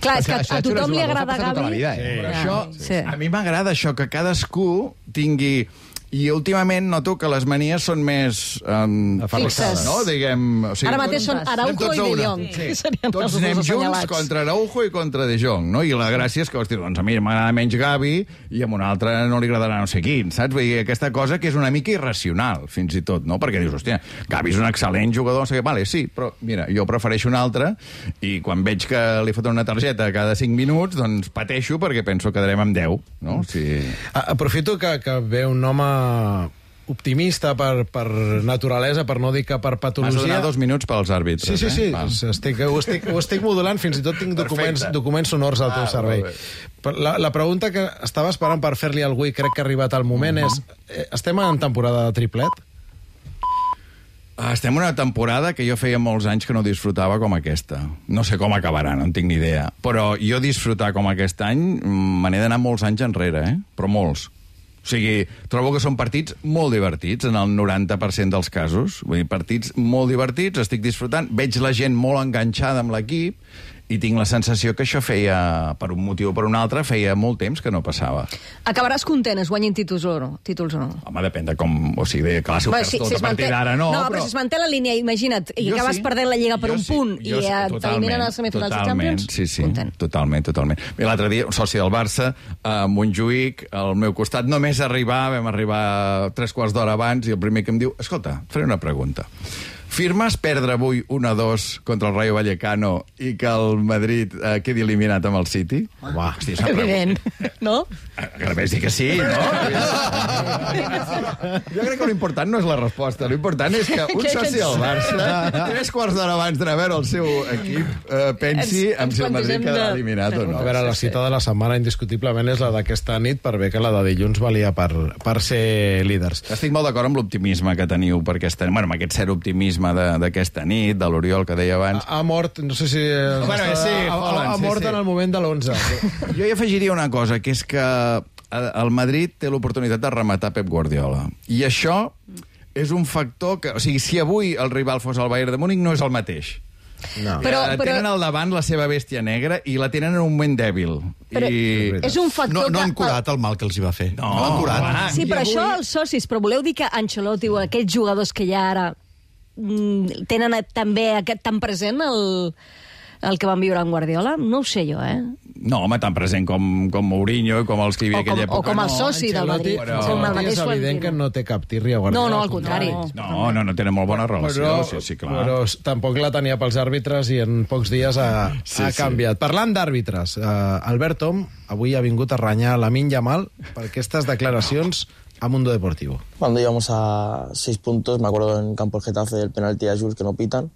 Clar, és que a tothom li agrada Gavi. A mi m'agrada això, que cadascú tingui I últimament noto que les manies són més... Fixes. No? Diguem... O sigui, ara mateix són Araujo i De Jong. Sí. Tots anem junts contra Araujo i contra De Jong, no? I la gràcia és que, hosti, doncs a mi m'agrada menys Gavi i a un altre no li agradarà no sé quin, saps? Vull dir, aquesta cosa que és una mica irracional, fins i tot, no? Perquè dius, hòstia, Gavi és un excel·lent jugador, no sé què, vale, sí, però mira, jo prefereixo un altre i quan veig que li foten una targeta cada 5 minuts, doncs pateixo perquè penso que quedarem amb 10, no? Sí. Aprofito que ve un home optimista per naturalesa, per no dir que per patologia. Has donat 2 minuts pels àrbitres. Sí. Ho estic modulant, fins i tot tinc documents sonors al teu servei. La pregunta que estava esperant per fer-li a algú i crec que ha arribat el moment és, estem en temporada de triplet? Estem en una temporada que jo feia molts anys que no disfrutava com aquesta. No sé com acabarà, no en tinc ni idea. Però jo disfrutar com aquest any me n'he d'anar molts anys enrere, però molts. O sigui, trobo que són partits molt divertits, en el 90% dels casos. Vull dir, partits molt divertits, estic disfrutant, veig la gent molt enganxada amb l'equip i tinc la sensació que això feia, per un motiu o per un altre, feia molt temps que no passava. Acabaràs content, es guanyin títols o no? Home, depèn de com... O sigui, clar, si ho perds tot a partir d'ara, no. No, però si es manté la línia, imagina't, i acabes perdent la Lliga per un punt i t'eliminen als semifinals de Champions, sí, totalment. Bé, l'altre dia, un soci del Barça, a Montjuïc, al meu costat, només vam arribar 3 quarts d'hora abans, i el primer que em diu, escolta, et faré una pregunta. Firmes perdre avui 1-2 contra el Rayo Vallecano i que el Madrid quedi eliminat amb el City? Uah, hosti, evident, no? Que només dir que sí, no? Jo crec que l'important no és la resposta, l'important és que un soci del Barça, 3 quarts d'hora abans d'anar a veure el seu equip, pensi si el Madrid quedarà eliminat o no. A veure, la cita de la setmana indiscutiblement és la d'aquesta nit, per bé que la de dilluns valia per ser líders. Estic molt d'acord amb l'optimisme que teniu per aquesta... Bueno, amb aquest cert optimisme d'aquesta nit, de l'Oriol, que deia abans. Ha mort, no sé si... Ha mort en el moment de l'11. Jo hi afegiria una cosa, que és que el Madrid té l'oportunitat de rematar Pep Guardiola. I això és un factor que... O sigui, si avui el rival fos el Bayern de Múnich, no és el mateix. No. Tenen al davant la seva bèstia negra i la tenen en un moment dèbil. És un factor no han curat el mal que els hi va fer. No han curat. Sí, però això els socis, però voleu dir que Ancelotti o aquells jugadors que hi ha ara tenen també tan present el que van viure en Guardiola? No ho sé jo, No, home, tan present com Mourinho i com els que hi havia aquella època. O com el soci del Madrid. És evident que no té cap tirria a Guardiola. No, al contrari. No, tenen molt bona relació. Sí, clar. Però tampoc la tenia pels àrbitres i en pocs dies ha canviat. Parlant d'àrbitres, Albert Tom avui ha vingut a renyar Lamine Yamal per aquestes declaracions a Mundo Deportivo. Cuando íbamos a 6 puntos, me acuerdo en campo el Getafe del penalti a Jules que no pitan,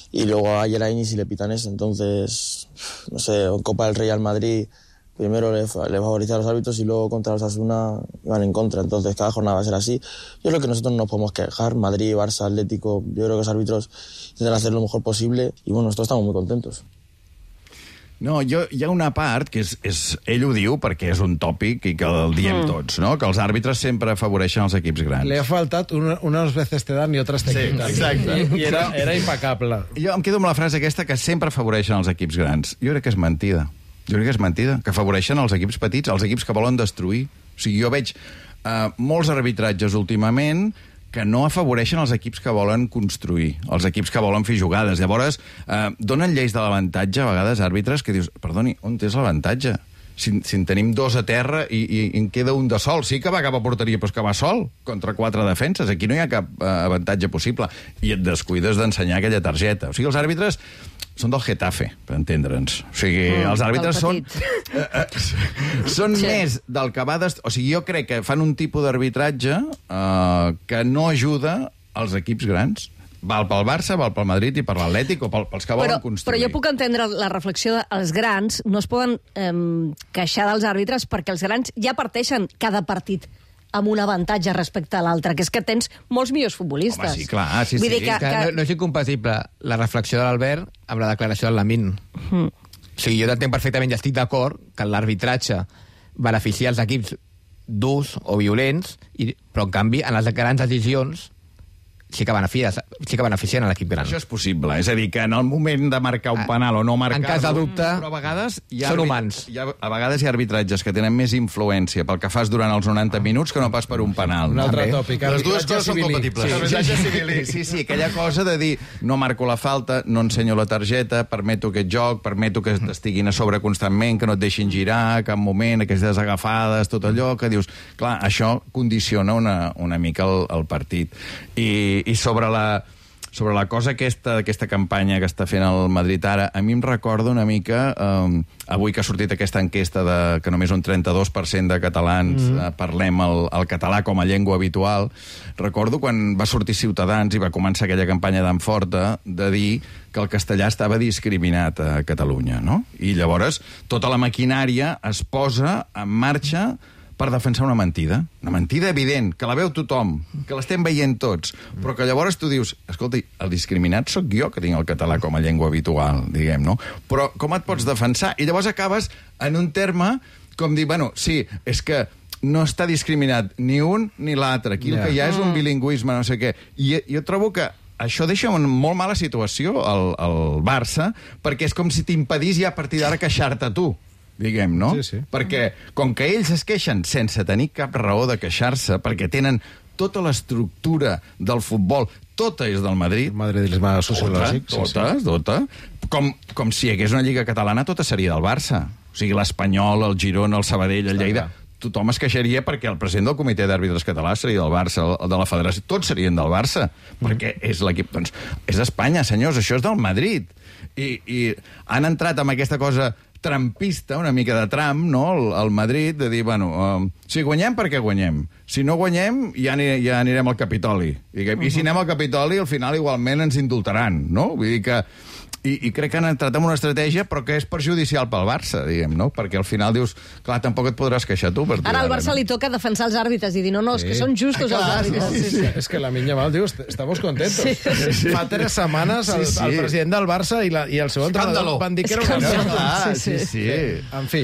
y luego ayer a Iñigo le pitan eso. Entonces, no sé, en Copa del Rey al Madrid, primero le favorecía a los árbitros y luego contra los Osasuna iban en contra. Entonces, cada jornada va a ser así. Yo creo que nosotros no nos podemos quejar. Madrid, Barça, Atlético, yo creo que los árbitros intentan hacer lo mejor posible y bueno, nosotros estamos muy contentos. No, hi ha una part que ell ho diu perquè és un tòpic i que el diem tots, no? Que els àrbitres sempre afavoreixen els equips grans. Le ha faltat unes veces te dan i otras te quitan. Sí, exacte. I era impecable. Jo em quedo amb la frase aquesta que sempre afavoreixen els equips grans. Jo crec que és mentida. Que afavoreixen els equips petits, els equips que volen destruir. O sigui, jo veig molts arbitratges últimament que no afavoreixen els equips que volen construir, els equips que volen fer jugades. Llavors, donen lleis de l'avantatge, a vegades, àrbitres, que dius, perdoni, on és l'avantatge? Si en tenim 2 a terra i en queda un de sol. Sí que va cap a porteria, però és que va sol contra 4 defenses. Aquí no hi ha cap avantatge possible. I et descuides d'ensenyar aquella targeta. O sigui, els àrbitres són del Getafe, per entendre'ns. O sigui, els àrbitres són més del que va... O sigui, jo crec que fan un tipus d'arbitratge que no ajuda als equips grans. Val pel Barça, val pel Madrid i per l'Atlètic o pels que volen construir. Però jo puc entendre la reflexió dels grans. No es poden queixar dels àrbitres perquè els grans ja parteixen cada partit amb un avantatge respecte a l'altre, que és que tens molts millors futbolistes. Home, sí, clar, sí. No és incompatible la reflexió de l'Albert amb la declaració del Lamine. O sigui, jo t'entenc perfectament i estic d'acord que l'arbitratge beneficia els equips durs o violents, però en canvi, en les grans decisions, sí que beneficien a l'equip gran. Això és possible, és a dir, que en el moment de marcar un penal o no marcar-lo... En cas de dubte, però a vegades són humans. A vegades hi ha arbitratges que tenen més influència pel que fas durant els 90 minuts que no pas per un penal. Un altre tòpic. Les dues coses són compatibles. Sí, aquella cosa de dir no marco la falta, no ensenyo la targeta, permeto aquest joc, permeto que t'estiguin a sobre constantment, que no et deixin girar a cap moment, aquestes agafades, tot allò que dius... Clar, això condiciona una mica el partit. I sobre la cosa aquesta campanya que està fent el Madrid ara, a mi em recorda una mica, avui que ha sortit aquesta enquesta que només un 32% de catalans parlem el català com a llengua habitual, recordo quan va sortir Ciutadans i va començar aquella campanya d'en Forta de dir que el castellà estava discriminat a Catalunya, no? I llavors tota la maquinària es posa en marxa per defensar una mentida evident, que la veu tothom, que l'estem veient tots, però que llavors tu dius, escolta, el discriminat sóc jo que tinc el català com a llengua habitual, diguem, no? Però com et pots defensar? I llavors acabes en un terme com dir, bueno, sí, és que no està discriminat ni un ni l'altre, aquí el que hi ha és un bilingüisme, no sé què. I jo trobo que això deixa en molt mala situació el Barça, perquè és com si t'impedís ja a partir d'ara queixar-te tu, diguem, no? Sí. Perquè com que ells es queixen sense tenir cap raó de queixar-se, perquè tenen tota l'estructura del futbol, tota és del Madrid. El madridisme sociològic. Tota. Com si hi hagués una lliga catalana, tota seria del Barça. O sigui, l'Espanyol, el Girona, el Sabadell, el Lleida... Tothom es queixaria perquè el president del comitè d'àrbitres català seria del Barça, el de la federació, tots serien del Barça, perquè és l'equip... Doncs és Espanya, senyors, això és del Madrid. I han entrat amb aquesta cosa trampista, una mica de Trump, no?, al Madrid, de dir, bueno, si guanyem, per què guanyem? Si no guanyem, ja anirem al Capitoli. I si anem al Capitoli, al final igualment ens indultaran, no? Vull dir que... I crec que han entrat en una estratègia, però que és perjudicial pel Barça, diguem, no? Perquè al final dius, clar, tampoc et podràs queixar tu. Ara al Barça li toca defensar els àrbitres i dir, no, és que són justos els àrbitres. Sí. És que la Minya Mal diu, estamos contentos. Sí. Fa 3 setmanes el president del Barça i el seu entrenador van dir que era una merda. Sí. En fi,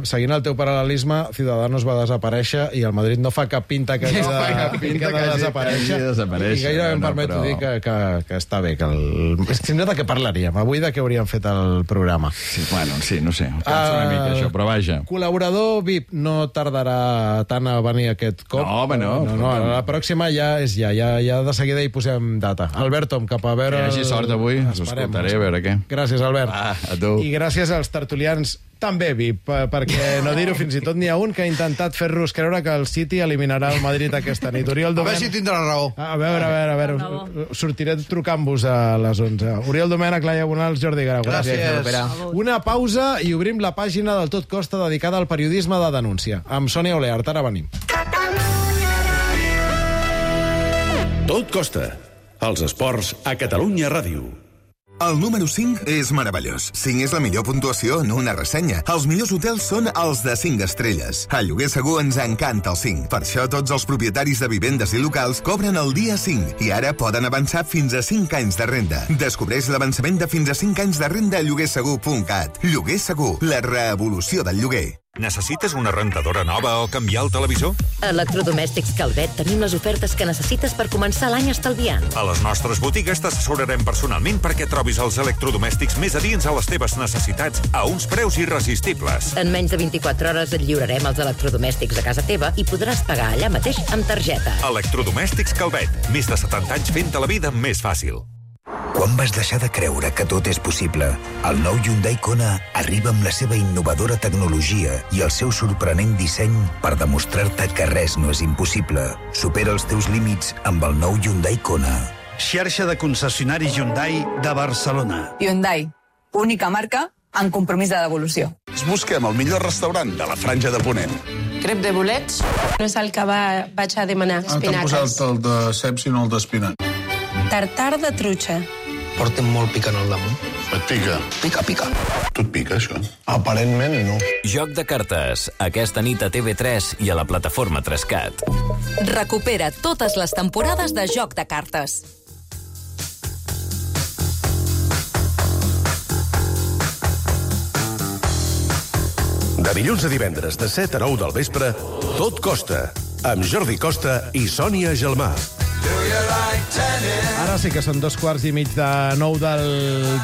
seguint el teu paral·lelisme, Ciudadanos va desaparèixer i el Madrid no fa cap pinta que hagi de desaparèixer. I gairebé em permeto dir que està bé. Sempre de què parlaríem? Avui de què hauríem fet el programa. Sí, bueno, sí, no sé. Cansa una mica això, però vaja. Col·laborador VIP no tardarà tant a venir aquest cop. No, home, no. La pròxima ja és ja de seguida hi posem data. Albert, cap a veure... Que hi hagi sort avui, us escoltaré, a veure què. Gràcies, Albert. A tu. I gràcies als tertulians també VIP, perquè no dir-ho, fins i tot n'hi ha un que ha intentat fer-nos creure que el City eliminarà el Madrid aquesta nit. Oriol Domènech... A veure si tindrà raó. A veure. Sortiré trucant-vos a les 11. Oriol Domènech, Laia Bonals, Jordi Garau. Gràcies. Una pausa i obrim la pàgina del Tot Costa dedicada al periodisme de denúncia. Amb Sònia Oleart. Ara venim. Tot Costa. Els esports a Catalunya Ràdio. El número 5 és meravellós. 5 és la millor puntuació en una ressenya. Els millors hotels són els de 5 estrelles. A Lloguer Segur ens encanta el 5. Per això tots els propietaris de vivendes i locals cobren el dia 5 i ara poden avançar fins a 5 anys de renda. Descobreix l'avançament de fins a 5 anys de renda a lloguersegur.cat. Lloguer Segur, la revolució del lloguer. Necessites una rentadora nova o canviar el televisor? A Electrodomèstics Calvet tenim les ofertes que necessites per començar l'any estalviant. A les nostres botigues t'assessorarem personalment perquè trobis els electrodomèstics més adients a les teves necessitats a uns preus irresistibles. En menys de 24 hores et lliurarem els electrodomèstics a casa teva i podràs pagar allà mateix amb targeta. Electrodomèstics Calvet. Més de 70 anys fent-te la vida més fàcil. Quan vas deixar de creure que tot és possible? El nou Hyundai Kona arriba amb la seva innovadora tecnologia i el seu sorprenent disseny per demostrar-te que res no és impossible. Supera els teus límits amb el nou Hyundai Kona. Xarxa de concessionaris Hyundai de Barcelona. Hyundai, única marca en compromís de devolució. Busquem el millor restaurant de la Franja de Ponent. Crep de bolets no és el que vaig a demanar, espinaques. T'han posat el de ceps i no el d'espinac. Tartar de trucha. Porten molt picant al damunt. Et pica? Pica. Tu et pica, això? Aparentment, no. Joc de cartes. Aquesta nit a TV3 i a la plataforma 3CAT. Recupera totes les temporades de Joc de cartes. De dilluns a divendres, de 7 a 9 del vespre, Tot Costa, amb Jordi Costa i Sònia Gelmà. Do you like tennis? Ara sí que són 8:15 del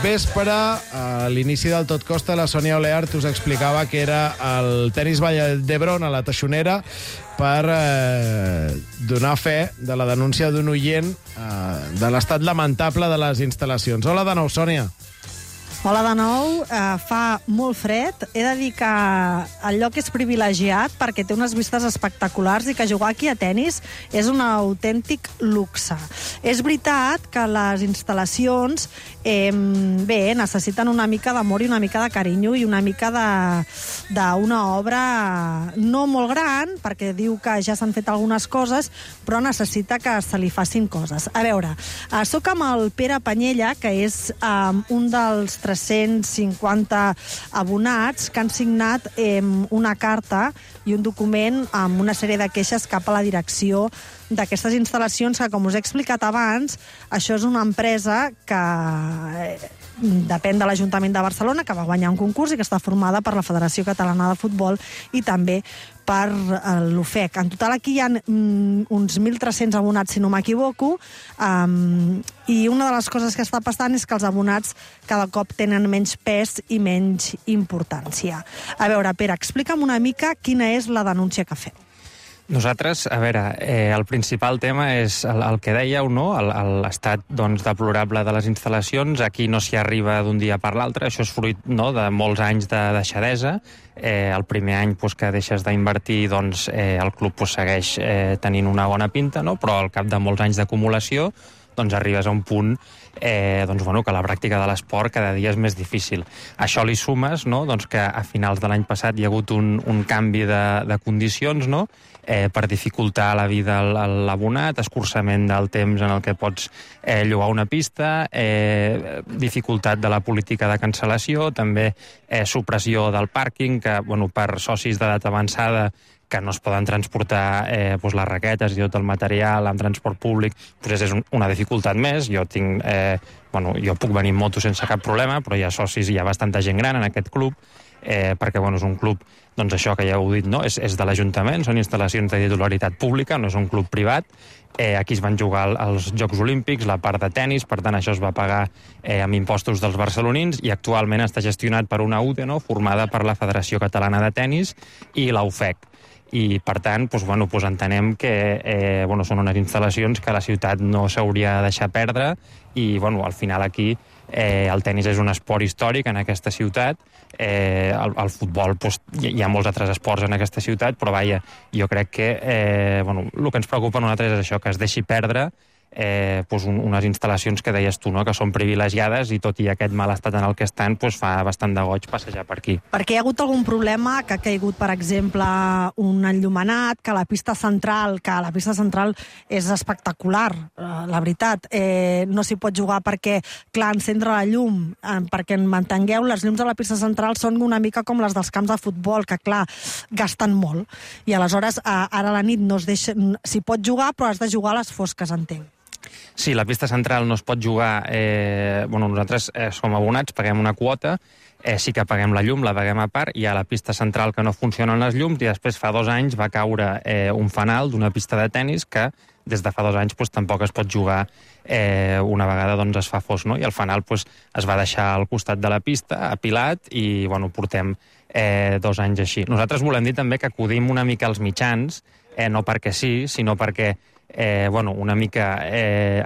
vespre. A l'inici del Tot Costa, la Sònia Oleart us explicava que era el tenis Vall d'Hebron a la Teixonera per donar fe de la denúncia d'un oient de l'estat lamentable de les instal·lacions. Hola de nou, Sònia. Hola de nou, fa molt fred. He de dir que el lloc és privilegiat perquè té unes vistes espectaculars i que jugar aquí a tennis és un autèntic luxe. És veritat que les instal·lacions necessiten una mica d'amor i una mica de carinyo i una mica d'una obra no molt gran, perquè diu que ja s'han fet algunes coses, però necessita que se li facin coses. A veure, soc amb el Pere Panyella, que és un dels 350 abonats que han signat una carta i un document amb una sèrie de queixes cap a la direcció d'aquestes instal·lacions que, com us he explicat abans, això és una empresa que depèn de l'Ajuntament de Barcelona, que va guanyar un concurs i que està formada per la Federació Catalana de Futbol i també per l'UFEC. En total aquí hi ha uns 1.300 abonats, si no m'equivoco, i una de les coses que està passant és que els abonats cada cop tenen menys pes i menys importància. A veure, Pere, explica'm una mica quina és la denúncia que fem. Nosaltres, a veure, el principal tema és el que dèieu, no? L'estat deplorable de les instal·lacions. Aquí no s'hi arriba d'un dia per l'altre. Això és fruit de molts anys de deixadesa. El primer any que deixes d'invertir, el club segueix tenint una bona pinta, però al cap de molts anys d'acumulació arribes a un punt que la pràctica de l'esport cada dia és més difícil. Això li sumes que a finals de l'any passat hi ha hagut un canvi de condicions, per dificultar la vida a l'abonat, escurçament del temps en el que pots llogar una pista, dificultat de la política de cancel·lació, també supressió del pàrquing, que per socis d'edat avançada que no es poden transportar les raquetes i tot el material en transport públic, és una dificultat més. Jo puc venir en moto sense cap problema, però hi ha socis i hi ha bastanta gent gran en aquest club, perquè és un club, això que ja heu dit, és de l'Ajuntament, són instal·lacions de titularitat pública, no és un club privat. Aquí es van jugar els Jocs Olímpics, la part de tennis, per tant això es va pagar amb impostos dels barcelonins i actualment està gestionat per una UTE, formada per la Federació Catalana de Tenis i la UFEC. I, per tant, entenem que són unes instal·lacions que la ciutat no s'hauria de deixar perdre i, al final, aquí el tennis és un esport històric en aquesta ciutat. El futbol, hi ha molts altres esports en aquesta ciutat, però, jo crec que el que ens preocupa a nosaltres és això, que es deixi perdre unes instal·lacions que deies tu, que són privilegiades i tot i aquest mal estat en el que estan, fa bastant de goig passejar per aquí. Perquè hi ha hagut algun problema que ha caigut, per exemple, un enllumenat, que la pista central és espectacular, la veritat. No s'hi pot jugar perquè, clar, encendre la llum, perquè mantengueu, les llums de la pista central són una mica com les dels camps de futbol, que, clar, gasten molt. I aleshores, ara a la nit s'hi pot jugar, però has de jugar a les fosques, entenc. Sí, la pista central no es pot jugar. Nosaltres som abonats, paguem una quota, sí que paguem la llum, la paguem a part, hi ha la pista central que no funcionen les llums i després fa 2 anys va caure un fanal d'una pista de tennis que des de fa 2 anys tampoc es pot jugar una vegada es fa fos, i el fanal es va deixar al costat de la pista, apilat, i portem 2 anys així. Nosaltres volem dir també que acudim una mica als mitjans, no perquè sí, sinó perquè una mica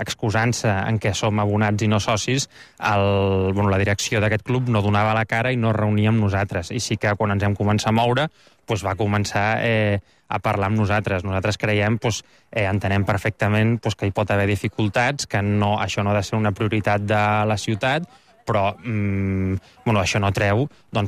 excusant-se en què som abonats i no socis, la direcció d'aquest club no donava la cara i no es reunia amb nosaltres. I sí que quan ens hem començat a moure va començar a parlar amb nosaltres. Nosaltres creiem, entenem perfectament que hi pot haver dificultats, que això no ha de ser una prioritat de la ciutat, però això no treu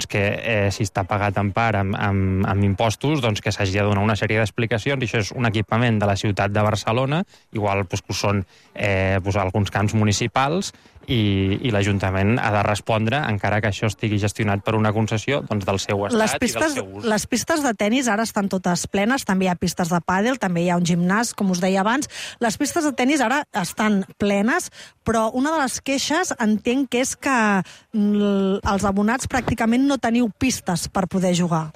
que si està pagat en part amb impostos, que s'hagi de donar una sèrie d'explicacions, i això és un equipament de la ciutat de Barcelona, igual que ho són alguns camps municipals, i l'Ajuntament ha de respondre, encara que això estigui gestionat per una concessió del seu estat i del seu ús. Les pistes de tennis ara estan totes plenes, també hi ha pistes de pàdel, també hi ha un gimnàs, com us deia abans. Les pistes de tennis ara estan plenes, però una de les queixes entenc que és que els abonats pràcticament no teniu pistes per poder jugar.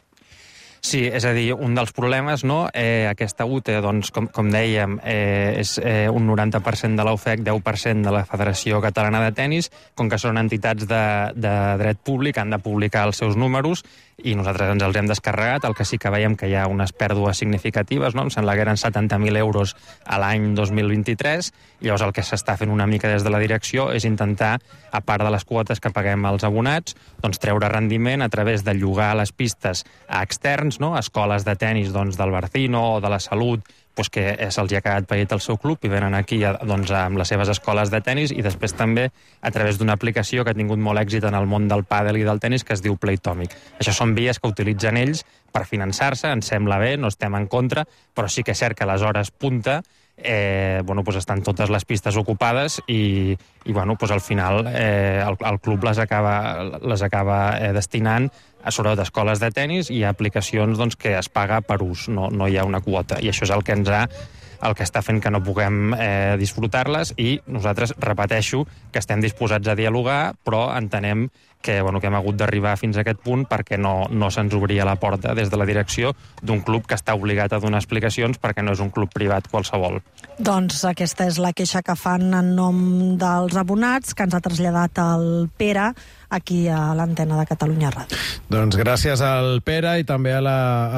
Sí, és a dir, un dels problemes, no? Aquesta UTE, doncs, com dèiem, és un 90% de la UFEC, 10% de la Federació Catalana de Tenis, com que són entitats de dret públic, han de publicar els seus números, i nosaltres ens els hem descarregat. El que sí que veiem que hi ha unes pèrdues significatives, no? Em sembla que eren 70.000 euros a l'any 2023, i llavors el que s'està fent una mica des de la direcció és intentar, a part de les quotes que paguem als abonats, doncs treure rendiment a través de llogar les pistes a externs, no? A escoles de tenis del Barcino o de la Salut, que se'ls ha quedat paït el seu club i venen aquí amb les seves escoles de tenis, i després també a través d'una aplicació que ha tingut molt èxit en el món del pàdel i del tenis que es diu Playtomic. Això són vies que utilitzen ells per finançar-se, ens sembla bé, no estem en contra, però sí que és cert que a les hores punta estan totes les pistes ocupades i al final el club les acaba destinant a sobretot escoles de tenis i a aplicacions que es paga per ús, no hi ha una quota, i això és el que està fent que no puguem disfrutar-les, i nosaltres, repeteixo, que estem disposats a dialogar, però entenem que hem hagut d'arribar fins a aquest punt perquè no se'ns obria la porta des de la direcció d'un club que està obligat a donar explicacions perquè no és un club privat qualsevol. Doncs aquesta és la queixa que fan en nom dels abonats, que ens ha traslladat el Pere aquí a l'antena de Catalunya Ràdio. Doncs gràcies al Pere i també a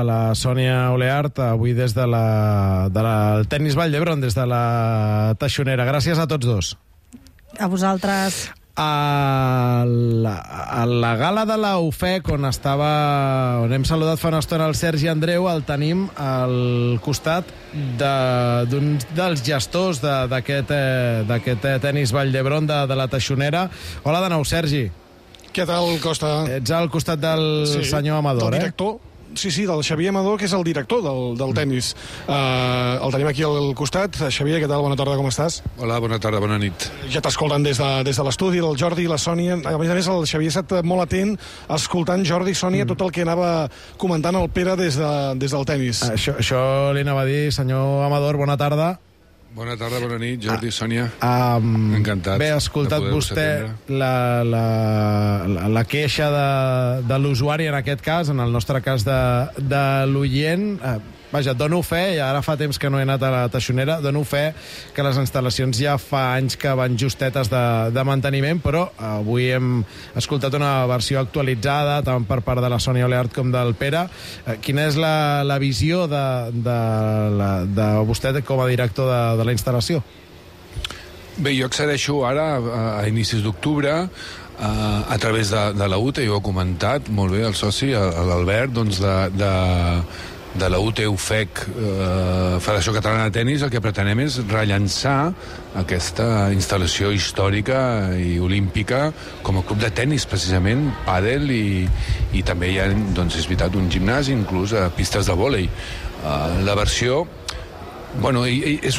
la Sònia Oleart, avui des del Tenis Vall d'Hebron, des de la Taixonera. Gràcies a tots dos. A vosaltres. A la gala de la UFEC, on hem saludat fa una estona el Sergi Andreu, el tenim al costat d'un dels gestors d'aquest Tenis Vall d'Hebron de la Taixonera. Hola de nou, Sergi. Què tal, Costa? Ets al costat del senyor Amador, del director. Sí, del Xavier Amador, que és el director del tenis. El tenim aquí al costat. Xavier, què tal? Bona tarda, com estàs? Hola, bona tarda, bona nit. Ja t'escolten des de l'estudi, el Jordi i la Sònia. A més, el Xavier ha estat molt atent escoltant Jordi i Sònia tot el que anava comentant el Pere des del tenis. Això li anava a dir, senyor Amador, bona tarda. Bona tarda, bona nit, Jordi, Sònia. Encantat. Bé, ha escoltat vostè la queixa de l'usuari, en aquest cas, en el nostre cas de l'oient. Vaja, dono fe, i ara fa temps que no he anat a la Taixonera, dono fe que les instal·lacions ja fa anys que van justetes de manteniment, però avui hem escoltat una versió actualitzada, tant per part de la Sònia Oleart com del Pere. Quina és la visió de vostè com a director de la instal·lació? Bé, jo accedeixo ara, a inicis d'octubre, a través de la UTE, jo ho he comentat molt bé, el soci, l'Albert, doncs de la UTE-UFEC, Federació Catalana de Tenis. El que pretenem és rellançar aquesta instal·lació històrica i olímpica com a club de tenis, precisament, pàdel, i també hi ha, doncs, és veritat, un gimnàs, inclús pistes de vòlei. La versió... Bueno, és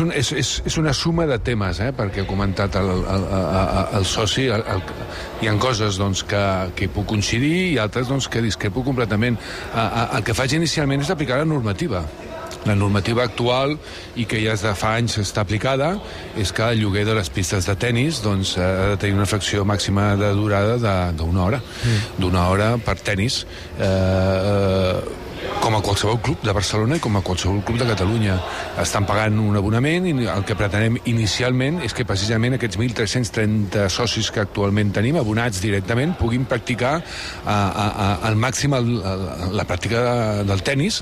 una suma de temes, perquè ha comentat el soci. Hi ha coses que puc coincidir i altres que discrepo completament. El que faig inicialment és aplicar la normativa. La normativa actual, i que ja des de fa anys està aplicada, és que el lloguer de les pistes de tenis ha de tenir una fracció màxima de durada d'una hora. D'una hora per tenis. Com a qualsevol club de Barcelona i com a qualsevol club de Catalunya. Estan pagant un abonament, i el que pretenem inicialment és que precisament aquests 1.330 socis que actualment tenim, abonats directament, puguin practicar al màxim la pràctica del tenis,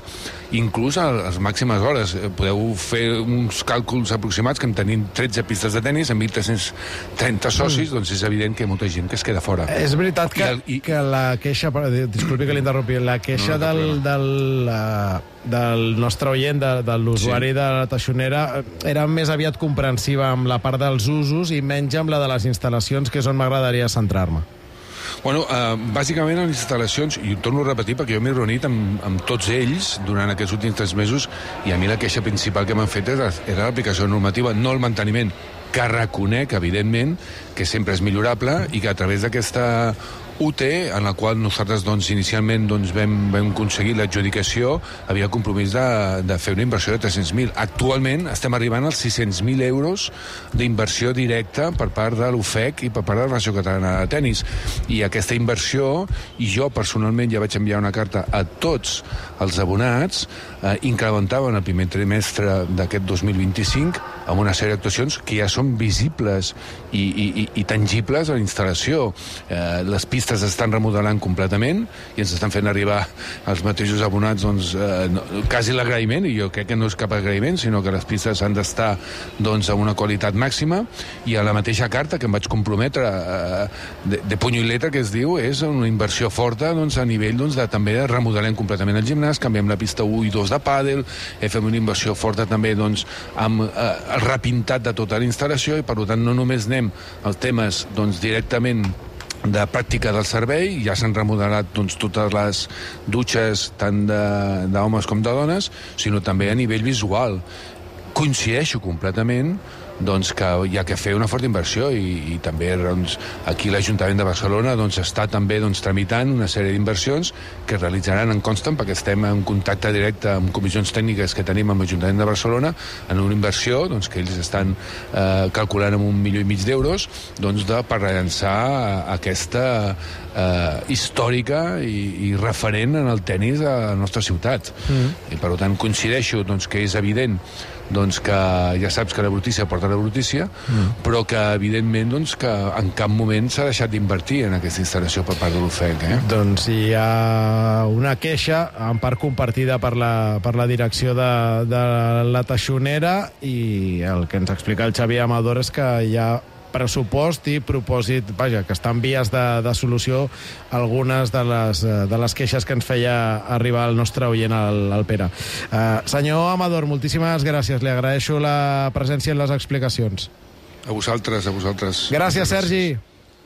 inclús a les màximes hores. Podeu fer uns càlculs aproximats que en tenim 13 pistes de tenis amb 1.330 socis, doncs és evident que hi ha molta gent que es queda fora. És veritat que la queixa, disculpi que l'interrompi, la queixa del nostre oient, de l'usuari de la Taixonera, era més aviat comprensiva amb la part dels usos i menys amb la de les instal·lacions, que és on m'agradaria centrar-me. Bueno, bàsicament en les instal·lacions, i ho torno a repetir perquè jo m'he reunit amb tots ells durant aquests últims 3 mesos, i a mi la queixa principal que m'han fet era l'aplicació normativa, no el manteniment, que reconec, evidentment, que sempre és millorable, i que a través d'aquesta UT, en la qual nosaltres inicialment vam aconseguir l'adjudicació, havia compromís de fer una inversió de 300.000. Actualment estem arribant als 600.000 euros d'inversió directa per part de l'UFEC i per part de la Federació Catalana de Tenis. I aquesta inversió, i jo personalment ja vaig enviar una carta a tots els abonats, incrementaven el primer trimestre d'aquest 2025 amb una sèrie d'actuacions que ja són visibles i tangibles a la instal·lació. Les pistes estan remodelant completament i ens estan fent arribar als mateixos abonats quasi l'agraïment, i jo crec que no és cap agraïment, sinó que les pistes han d'estar a una qualitat màxima, i a la mateixa carta que em vaig comprometre de puny i letra, que es diu, és una inversió forta a nivell també de remodelar completament el gimnàs, canviem la pista 1 i 2 de pàdel, fem una inversió forta també amb el repintat de tota la instal·lació, i per tant no només anem als temes directament de pràctica del servei, ja s'han remodelat totes les dutxes tant d'homes com de dones, sinó també a nivell visual. Coincideixo completament que hi ha que fer una forta inversió, i també aquí l'Ajuntament de Barcelona està també tramitant una sèrie d'inversions que es realitzaran, en consten, perquè estem en contacte directe amb comissions tècniques que tenim amb l'Ajuntament de Barcelona, en una inversió que ells estan calculant amb 1,5 milió d'euros per rellançar aquesta històrica i referent en el tenis a la nostra ciutat. I per tant coincideixo que és evident que ja saps que la brutícia porta la brutícia, però que evidentment que en cap moment s'ha deixat d'invertir en aquesta instal·lació per part de l'UFEC. Doncs hi ha una queixa, en part compartida per la direcció de la Teixonera, i el que ens explica el Xavier Amador és que hi ha pressupost i propòsit, que està en vies de solució algunes de les queixes que ens feia arribar el nostre oient, el Pere. Senyor Amador, moltíssimes gràcies. Li agraeixo la presència en les explicacions. A vosaltres. Gràcies, Sergi.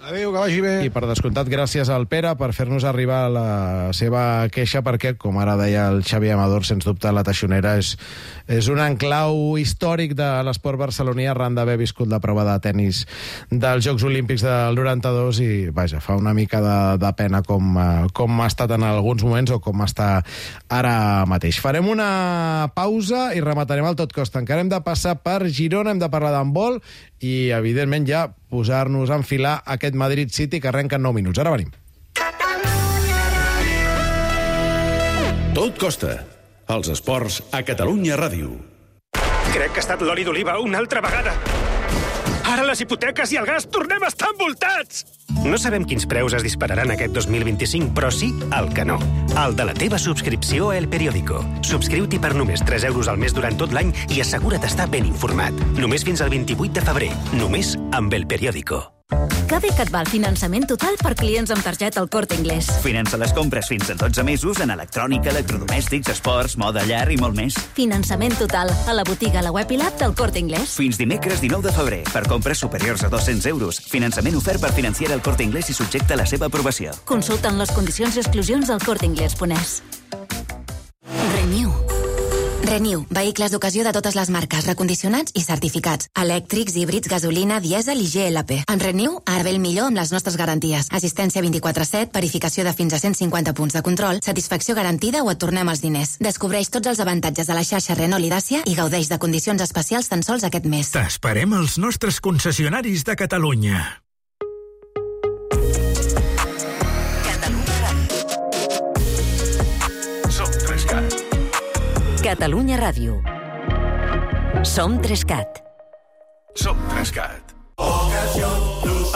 Adéu, que vagi bé. I per descomptat, gràcies al Pere per fer-nos arribar la seva queixa, perquè, com ara deia el Xavi Amador, sens dubte la Teixonera és un enclau històric de l'esport barceloní arran d'haver viscut la prova de tennis dels Jocs Olímpics del 92, i fa una mica de pena com ha estat en alguns moments o com està ara mateix. Farem una pausa i rematarem el Tot Costa. Encara hem de passar per Girona, hem de parlar d'handbol i, evidentment, ja posar-nos a enfilar aquest Madrid City que arrenca en 9 minuts. Ara venim. Tot Costa. Els esports a Catalunya Ràdio. Crec que ha estat l'oli d'oliva una altra vegada. Ara les hipoteques i el gas tornem a estar envoltats! No sabem quins preus es dispararan aquest 2025, però sí el que no. El de la teva subscripció a El Periódico. Subscriu-t'hi per només 3 euros al mes durant tot l'any i assegura't estar ben informat. Només fins al 28 de febrer. Només amb El Periódico. Que bé que et va el finançament total per clients amb targeta El Corte Inglés. Finança les compres fins a 12 mesos en electrònica, electrodomèstics, esports, moda, llar i molt més. Finançament total a la botiga, a la web i l'app del Corte Inglés. Fins dimecres 19 de febrer. Per compres superiors a 200 euros. Finançament ofert per Financiera El Corte Inglés i subjecte a la seva aprovació. Consulten les condicions i exclusions al corteinglés.es. Renew, vehicles d'ocasió de totes les marques, recondicionats i certificats. Elèctrics, híbrids, gasolina, dièsel i GLP. En Renew, ara ve el millor amb les nostres garanties. Assistència 24/7, verificació de fins a 150 punts de control, satisfacció garantida o et tornem els diners. Descobreix tots els avantatges de la xarxa Renault i Dacia i gaudeix de condicions especials tan sols aquest mes. T'esperem als nostres concessionaris de Catalunya. Catalunya Ràdio. Som 3CAT. Som 3CAT.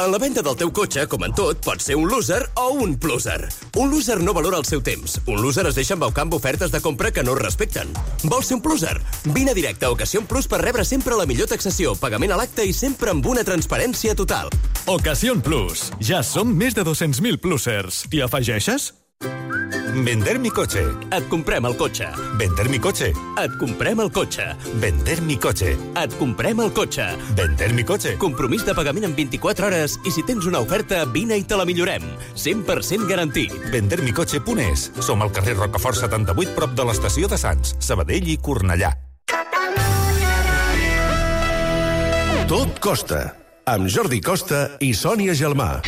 En la venda del teu cotxe, com en tot, pots ser un loser o un pluser. Un loser no valora el seu temps. Un loser es deixa embaucar amb ofertes de compra que no es respecten. Vols ser un pluser? Vine directe a Ocasión Plus per rebre sempre la millor taxació, pagament a l'acte i sempre amb una transparència total. Ocasión Plus. Ja som més de 200.000 plusers. T'hi afegeixes? Vender mi coche. Et comprem el cotxe. Vender mi coche. Et comprem el cotxe. Vender mi coche. Et comprem el cotxe. Vender mi coche. Compromís de pagament en 24 hores i si tens una oferta, vine i te la millorem. 100% garantit. Vendermicoche.es. Som al carrer Rocafort 78, prop de l'estació de Sants, Sabadell i Cornellà. Tot Costa, amb Jordi Costa i Sònia Gelmà.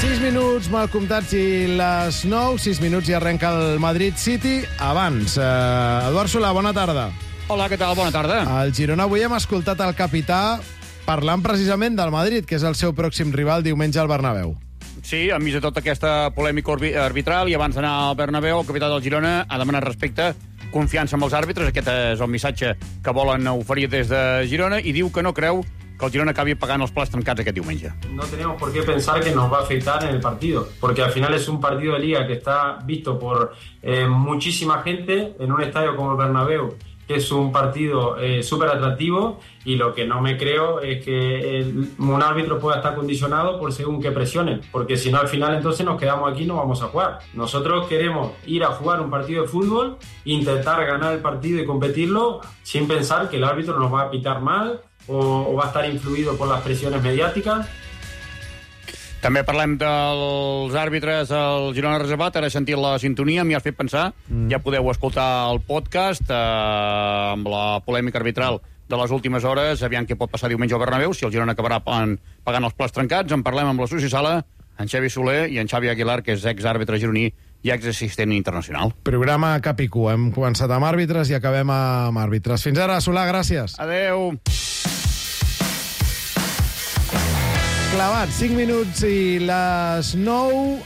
6 minuts mal comptats i les 9, 6 minuts i arrenca el Madrid City. Abans, Eduard Solà, bona tarda. Hola, què tal? Bona tarda. Al Girona avui hem escoltat el capità parlant precisament del Madrid, que és el seu pròxim rival diumenge al Bernabéu. Sí, enmig de tota aquesta polèmica arbitral i abans d'anar al Bernabéu, el capità del Girona ha demanat respecte, confiança amb els àrbitres. Aquest és el missatge que volen oferir des de Girona i diu que no creu que el Girona acabi pagant els plats trencats aquest diumenge. No tenemos por qué pensar que nos va a afectar en el partido, porque al final es un partido de liga que está visto por muchísima gente en un estadio como el Bernabéu, que es un partido súper atractivo, y lo que no me creo es que un árbitro pueda estar condicionado por según qué presiones, porque si no al final entonces nos quedamos aquí y no vamos a jugar. Nosotros queremos ir a jugar un partido de fútbol, intentar ganar el partido y competirlo sin pensar que el árbitro nos va a pitar mal o va a estar influido por las presiones mediáticas. També parlem dels àrbitres al Girona reservat. Ara he sentit la sintonia, m'hi has fet pensar. Ja podeu escoltar el podcast amb la polèmica arbitral de les últimes hores. Aviam què pot passar diumenge al Bernabéu, si el Girona acabarà pagant els plats trencats. En parlem amb la Sociosala, en Xavi Soler i en Xavi Aguilar, que és exàrbitre gironí i exassistent internacional. Programa cap i cua. Hem començat amb àrbitres i acabem amb àrbitres. Fins ara, Solà, gràcies. Adeu. Clavat, 5 minuts i les 9.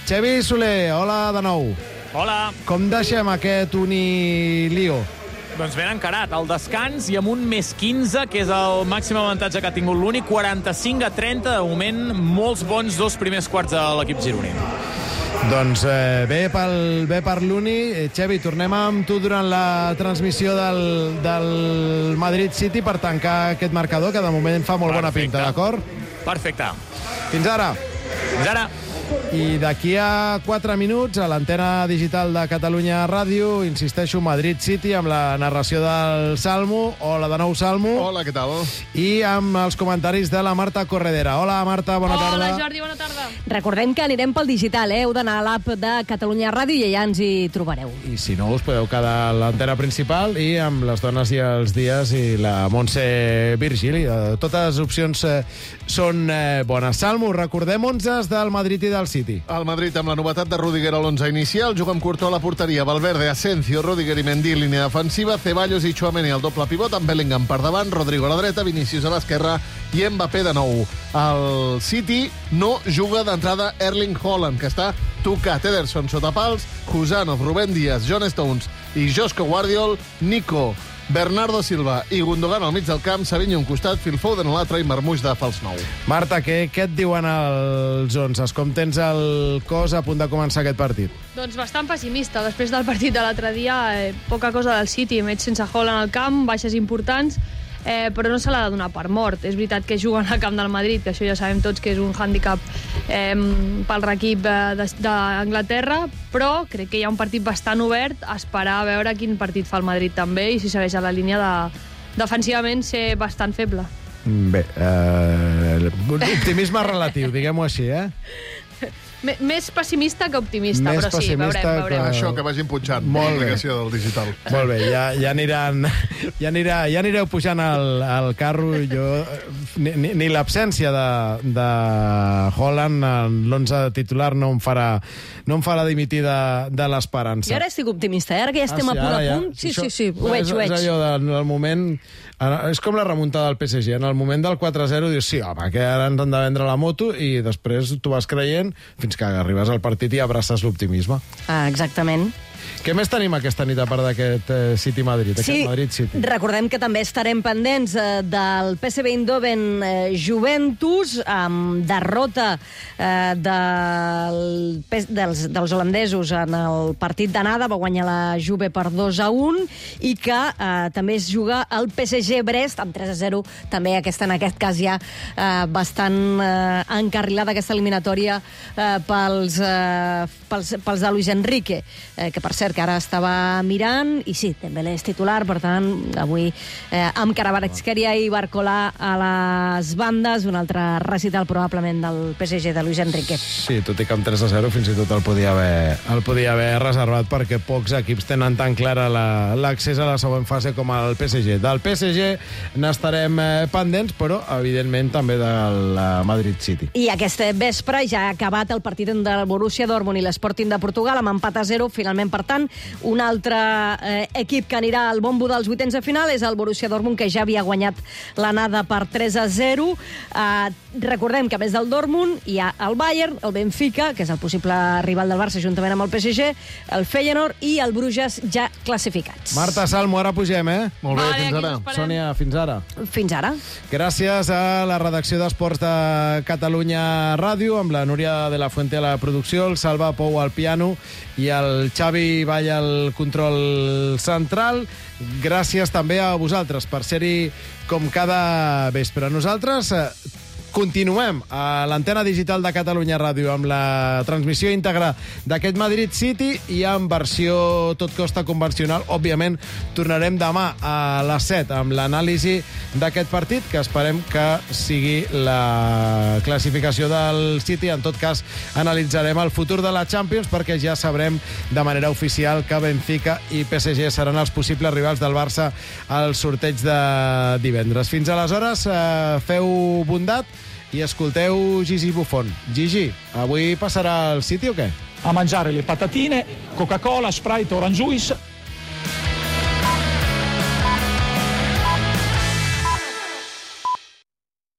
Xavi Soler, hola de nou. Hola. Com deixem aquest unilio? Doncs ben encarat, al descans i amb un més 15, que és el màxim avantatge que ha tingut l'Uni, 45-30, de moment, molts bons dos primers quarts de l'equip gironí. Doncs bé per l'Uni. Xavi, tornem amb tu durant la transmissió del Madrid City per tancar aquest marcador, que de moment fa molt bona pinta, d'acord? Perfecte. Fins ara. Fins ara. I d'aquí a 4 minuts, a l'antena digital de Catalunya Ràdio, insisteixo, Madrid City, amb la narració del Salmo. Hola de nou, Salmo. Hola, què tal? I amb els comentaris de la Marta Corredera. Hola, Marta, bona tarda. Hola, Jordi, bona tarda. Recordem que anirem pel digital, heu d'anar a l'app de Catalunya Ràdio i allà ens hi trobareu. I si no, us podeu quedar a l'antena principal i amb les dones i els dies i la Montse Virgili. Totes les opcions són bones. Salmo, recordem 11 del Madrid i del City. El Madrid amb la novetat de Rüdiger a l'11 inicial, juga amb Courtois a la porteria, Valverde, Asensio, Rüdiger i Mendy, línia defensiva, Ceballos i Tchouaméni al doble pivot, amb Bellingham per davant, Rodrigo a la dreta, Vinícius a l'esquerra i Mbappé de nou. El City no juga d'entrada Erling Haaland, que està tocat. Ederson sota pals, Husanov, Rubén Díaz, John Stones i Josko Guardiol, Nico, Bernardo Silva i Gundogan al mig del camp, Savinho un costat, Phil Foden a l'altre i Marmoush de fals nou. Marta, què et diuen els 11? Com tens el cos a punt de començar aquest partit? Doncs bastant pessimista. Després del partit de l'altre dia, poca cosa del City. Veig sense Haaland al camp, baixes importants, però no se l'ha de donar per mort. És veritat que juguen al camp del Madrid, que això ja sabem tots que és un hàndicap pel l'equip d'Anglaterra, però crec que hi ha un partit bastant obert, a esperar a veure quin partit fa el Madrid també i si segueix a la línia defensivament ser bastant feble. Bé, optimisme relatiu, diguem-ho així, Més pessimista que optimista, però sí, veurem. Això, que vagin pujant l'aplicació del digital. Molt bé, ja anireu pujant al carro. Jo, ni l'absència de Haaland en l'11 titular no em farà dimitir de l'esperança. I ara estic optimista, ara que ja estem a punt. Sí, ho veig. És allò del moment... És com la remuntada del PSG. En el moment del 4-0 dius, sí, home, que ara ens han de vendre la moto, i després tu vas creient fins que arribes al partit i abraces l'optimisme. Exactament. Què més tenim aquesta nit, a part d'aquest City-Madrid? Sí, Madrid-City. Recordem que també estarem pendents del PSV Eindhoven Juventus, amb derrota dels holandesos en el partit d'anada, va guanyar la Juve per 2-1, i que també es juga el PSG Brest, amb 3-0, també en aquest cas ja bastant encarrilada aquesta eliminatòria pels de Luis Enrique, que per cert, que ara estava mirant, i sí, Dembélé és titular, per tant, avui amb Kvaratskhelia i Barcola a les bandes, un altre recital probablement del PSG de Luis Enrique. Sí, tot i que amb 3-0 fins i tot el podia haver reservat, perquè pocs equips tenen tan clara l'accés a la següent fase com el PSG. Del PSG n'estarem pendents, però evidentment també del Madrid City. I aquest vespre ja ha acabat el partit del Borussia Dortmund i l'Sporting de Portugal amb empat a 0. Finalment, per tant, un altre equip que anirà al bombo dels vuitens de final és el Borussia Dortmund, que ja havia guanyat l'anada per 3-0. Recordem que a més del Dortmund hi ha el Bayern, el Benfica, que és el possible rival del Barça juntament amb el PSG, el Feyenoord i el Bruges ja classificats. Marta Salmo, ara pugem, Molt bé, fins ara. Sònia, fins ara. Fins ara. Gràcies a la redacció d'Esports de Catalunya Ràdio, amb la Núria de la Fuente a la producció, el Salva Pou al piano i el Xavi Vall al control central. Gràcies també a vosaltres per ser-hi com cada vespre. Nosaltres continuem a l'antena digital de Catalunya Ràdio amb la transmissió íntegra d'aquest Madrid City i en versió tot costa convencional. Òbviament, tornarem demà a les 7 amb l'anàlisi d'aquest partit, que esperem que sigui la classificació del City. En tot cas, analitzarem el futur de la Champions, perquè ja sabrem de manera oficial que Benfica i PSG seran els possibles rivals del Barça al sorteig de divendres. Fins aleshores, feu bondat i escolteu Gigi Buffon. Gigi, avui passarà al City o què? A mangiare le patatine, Coca-Cola, Sprite, Orange Juice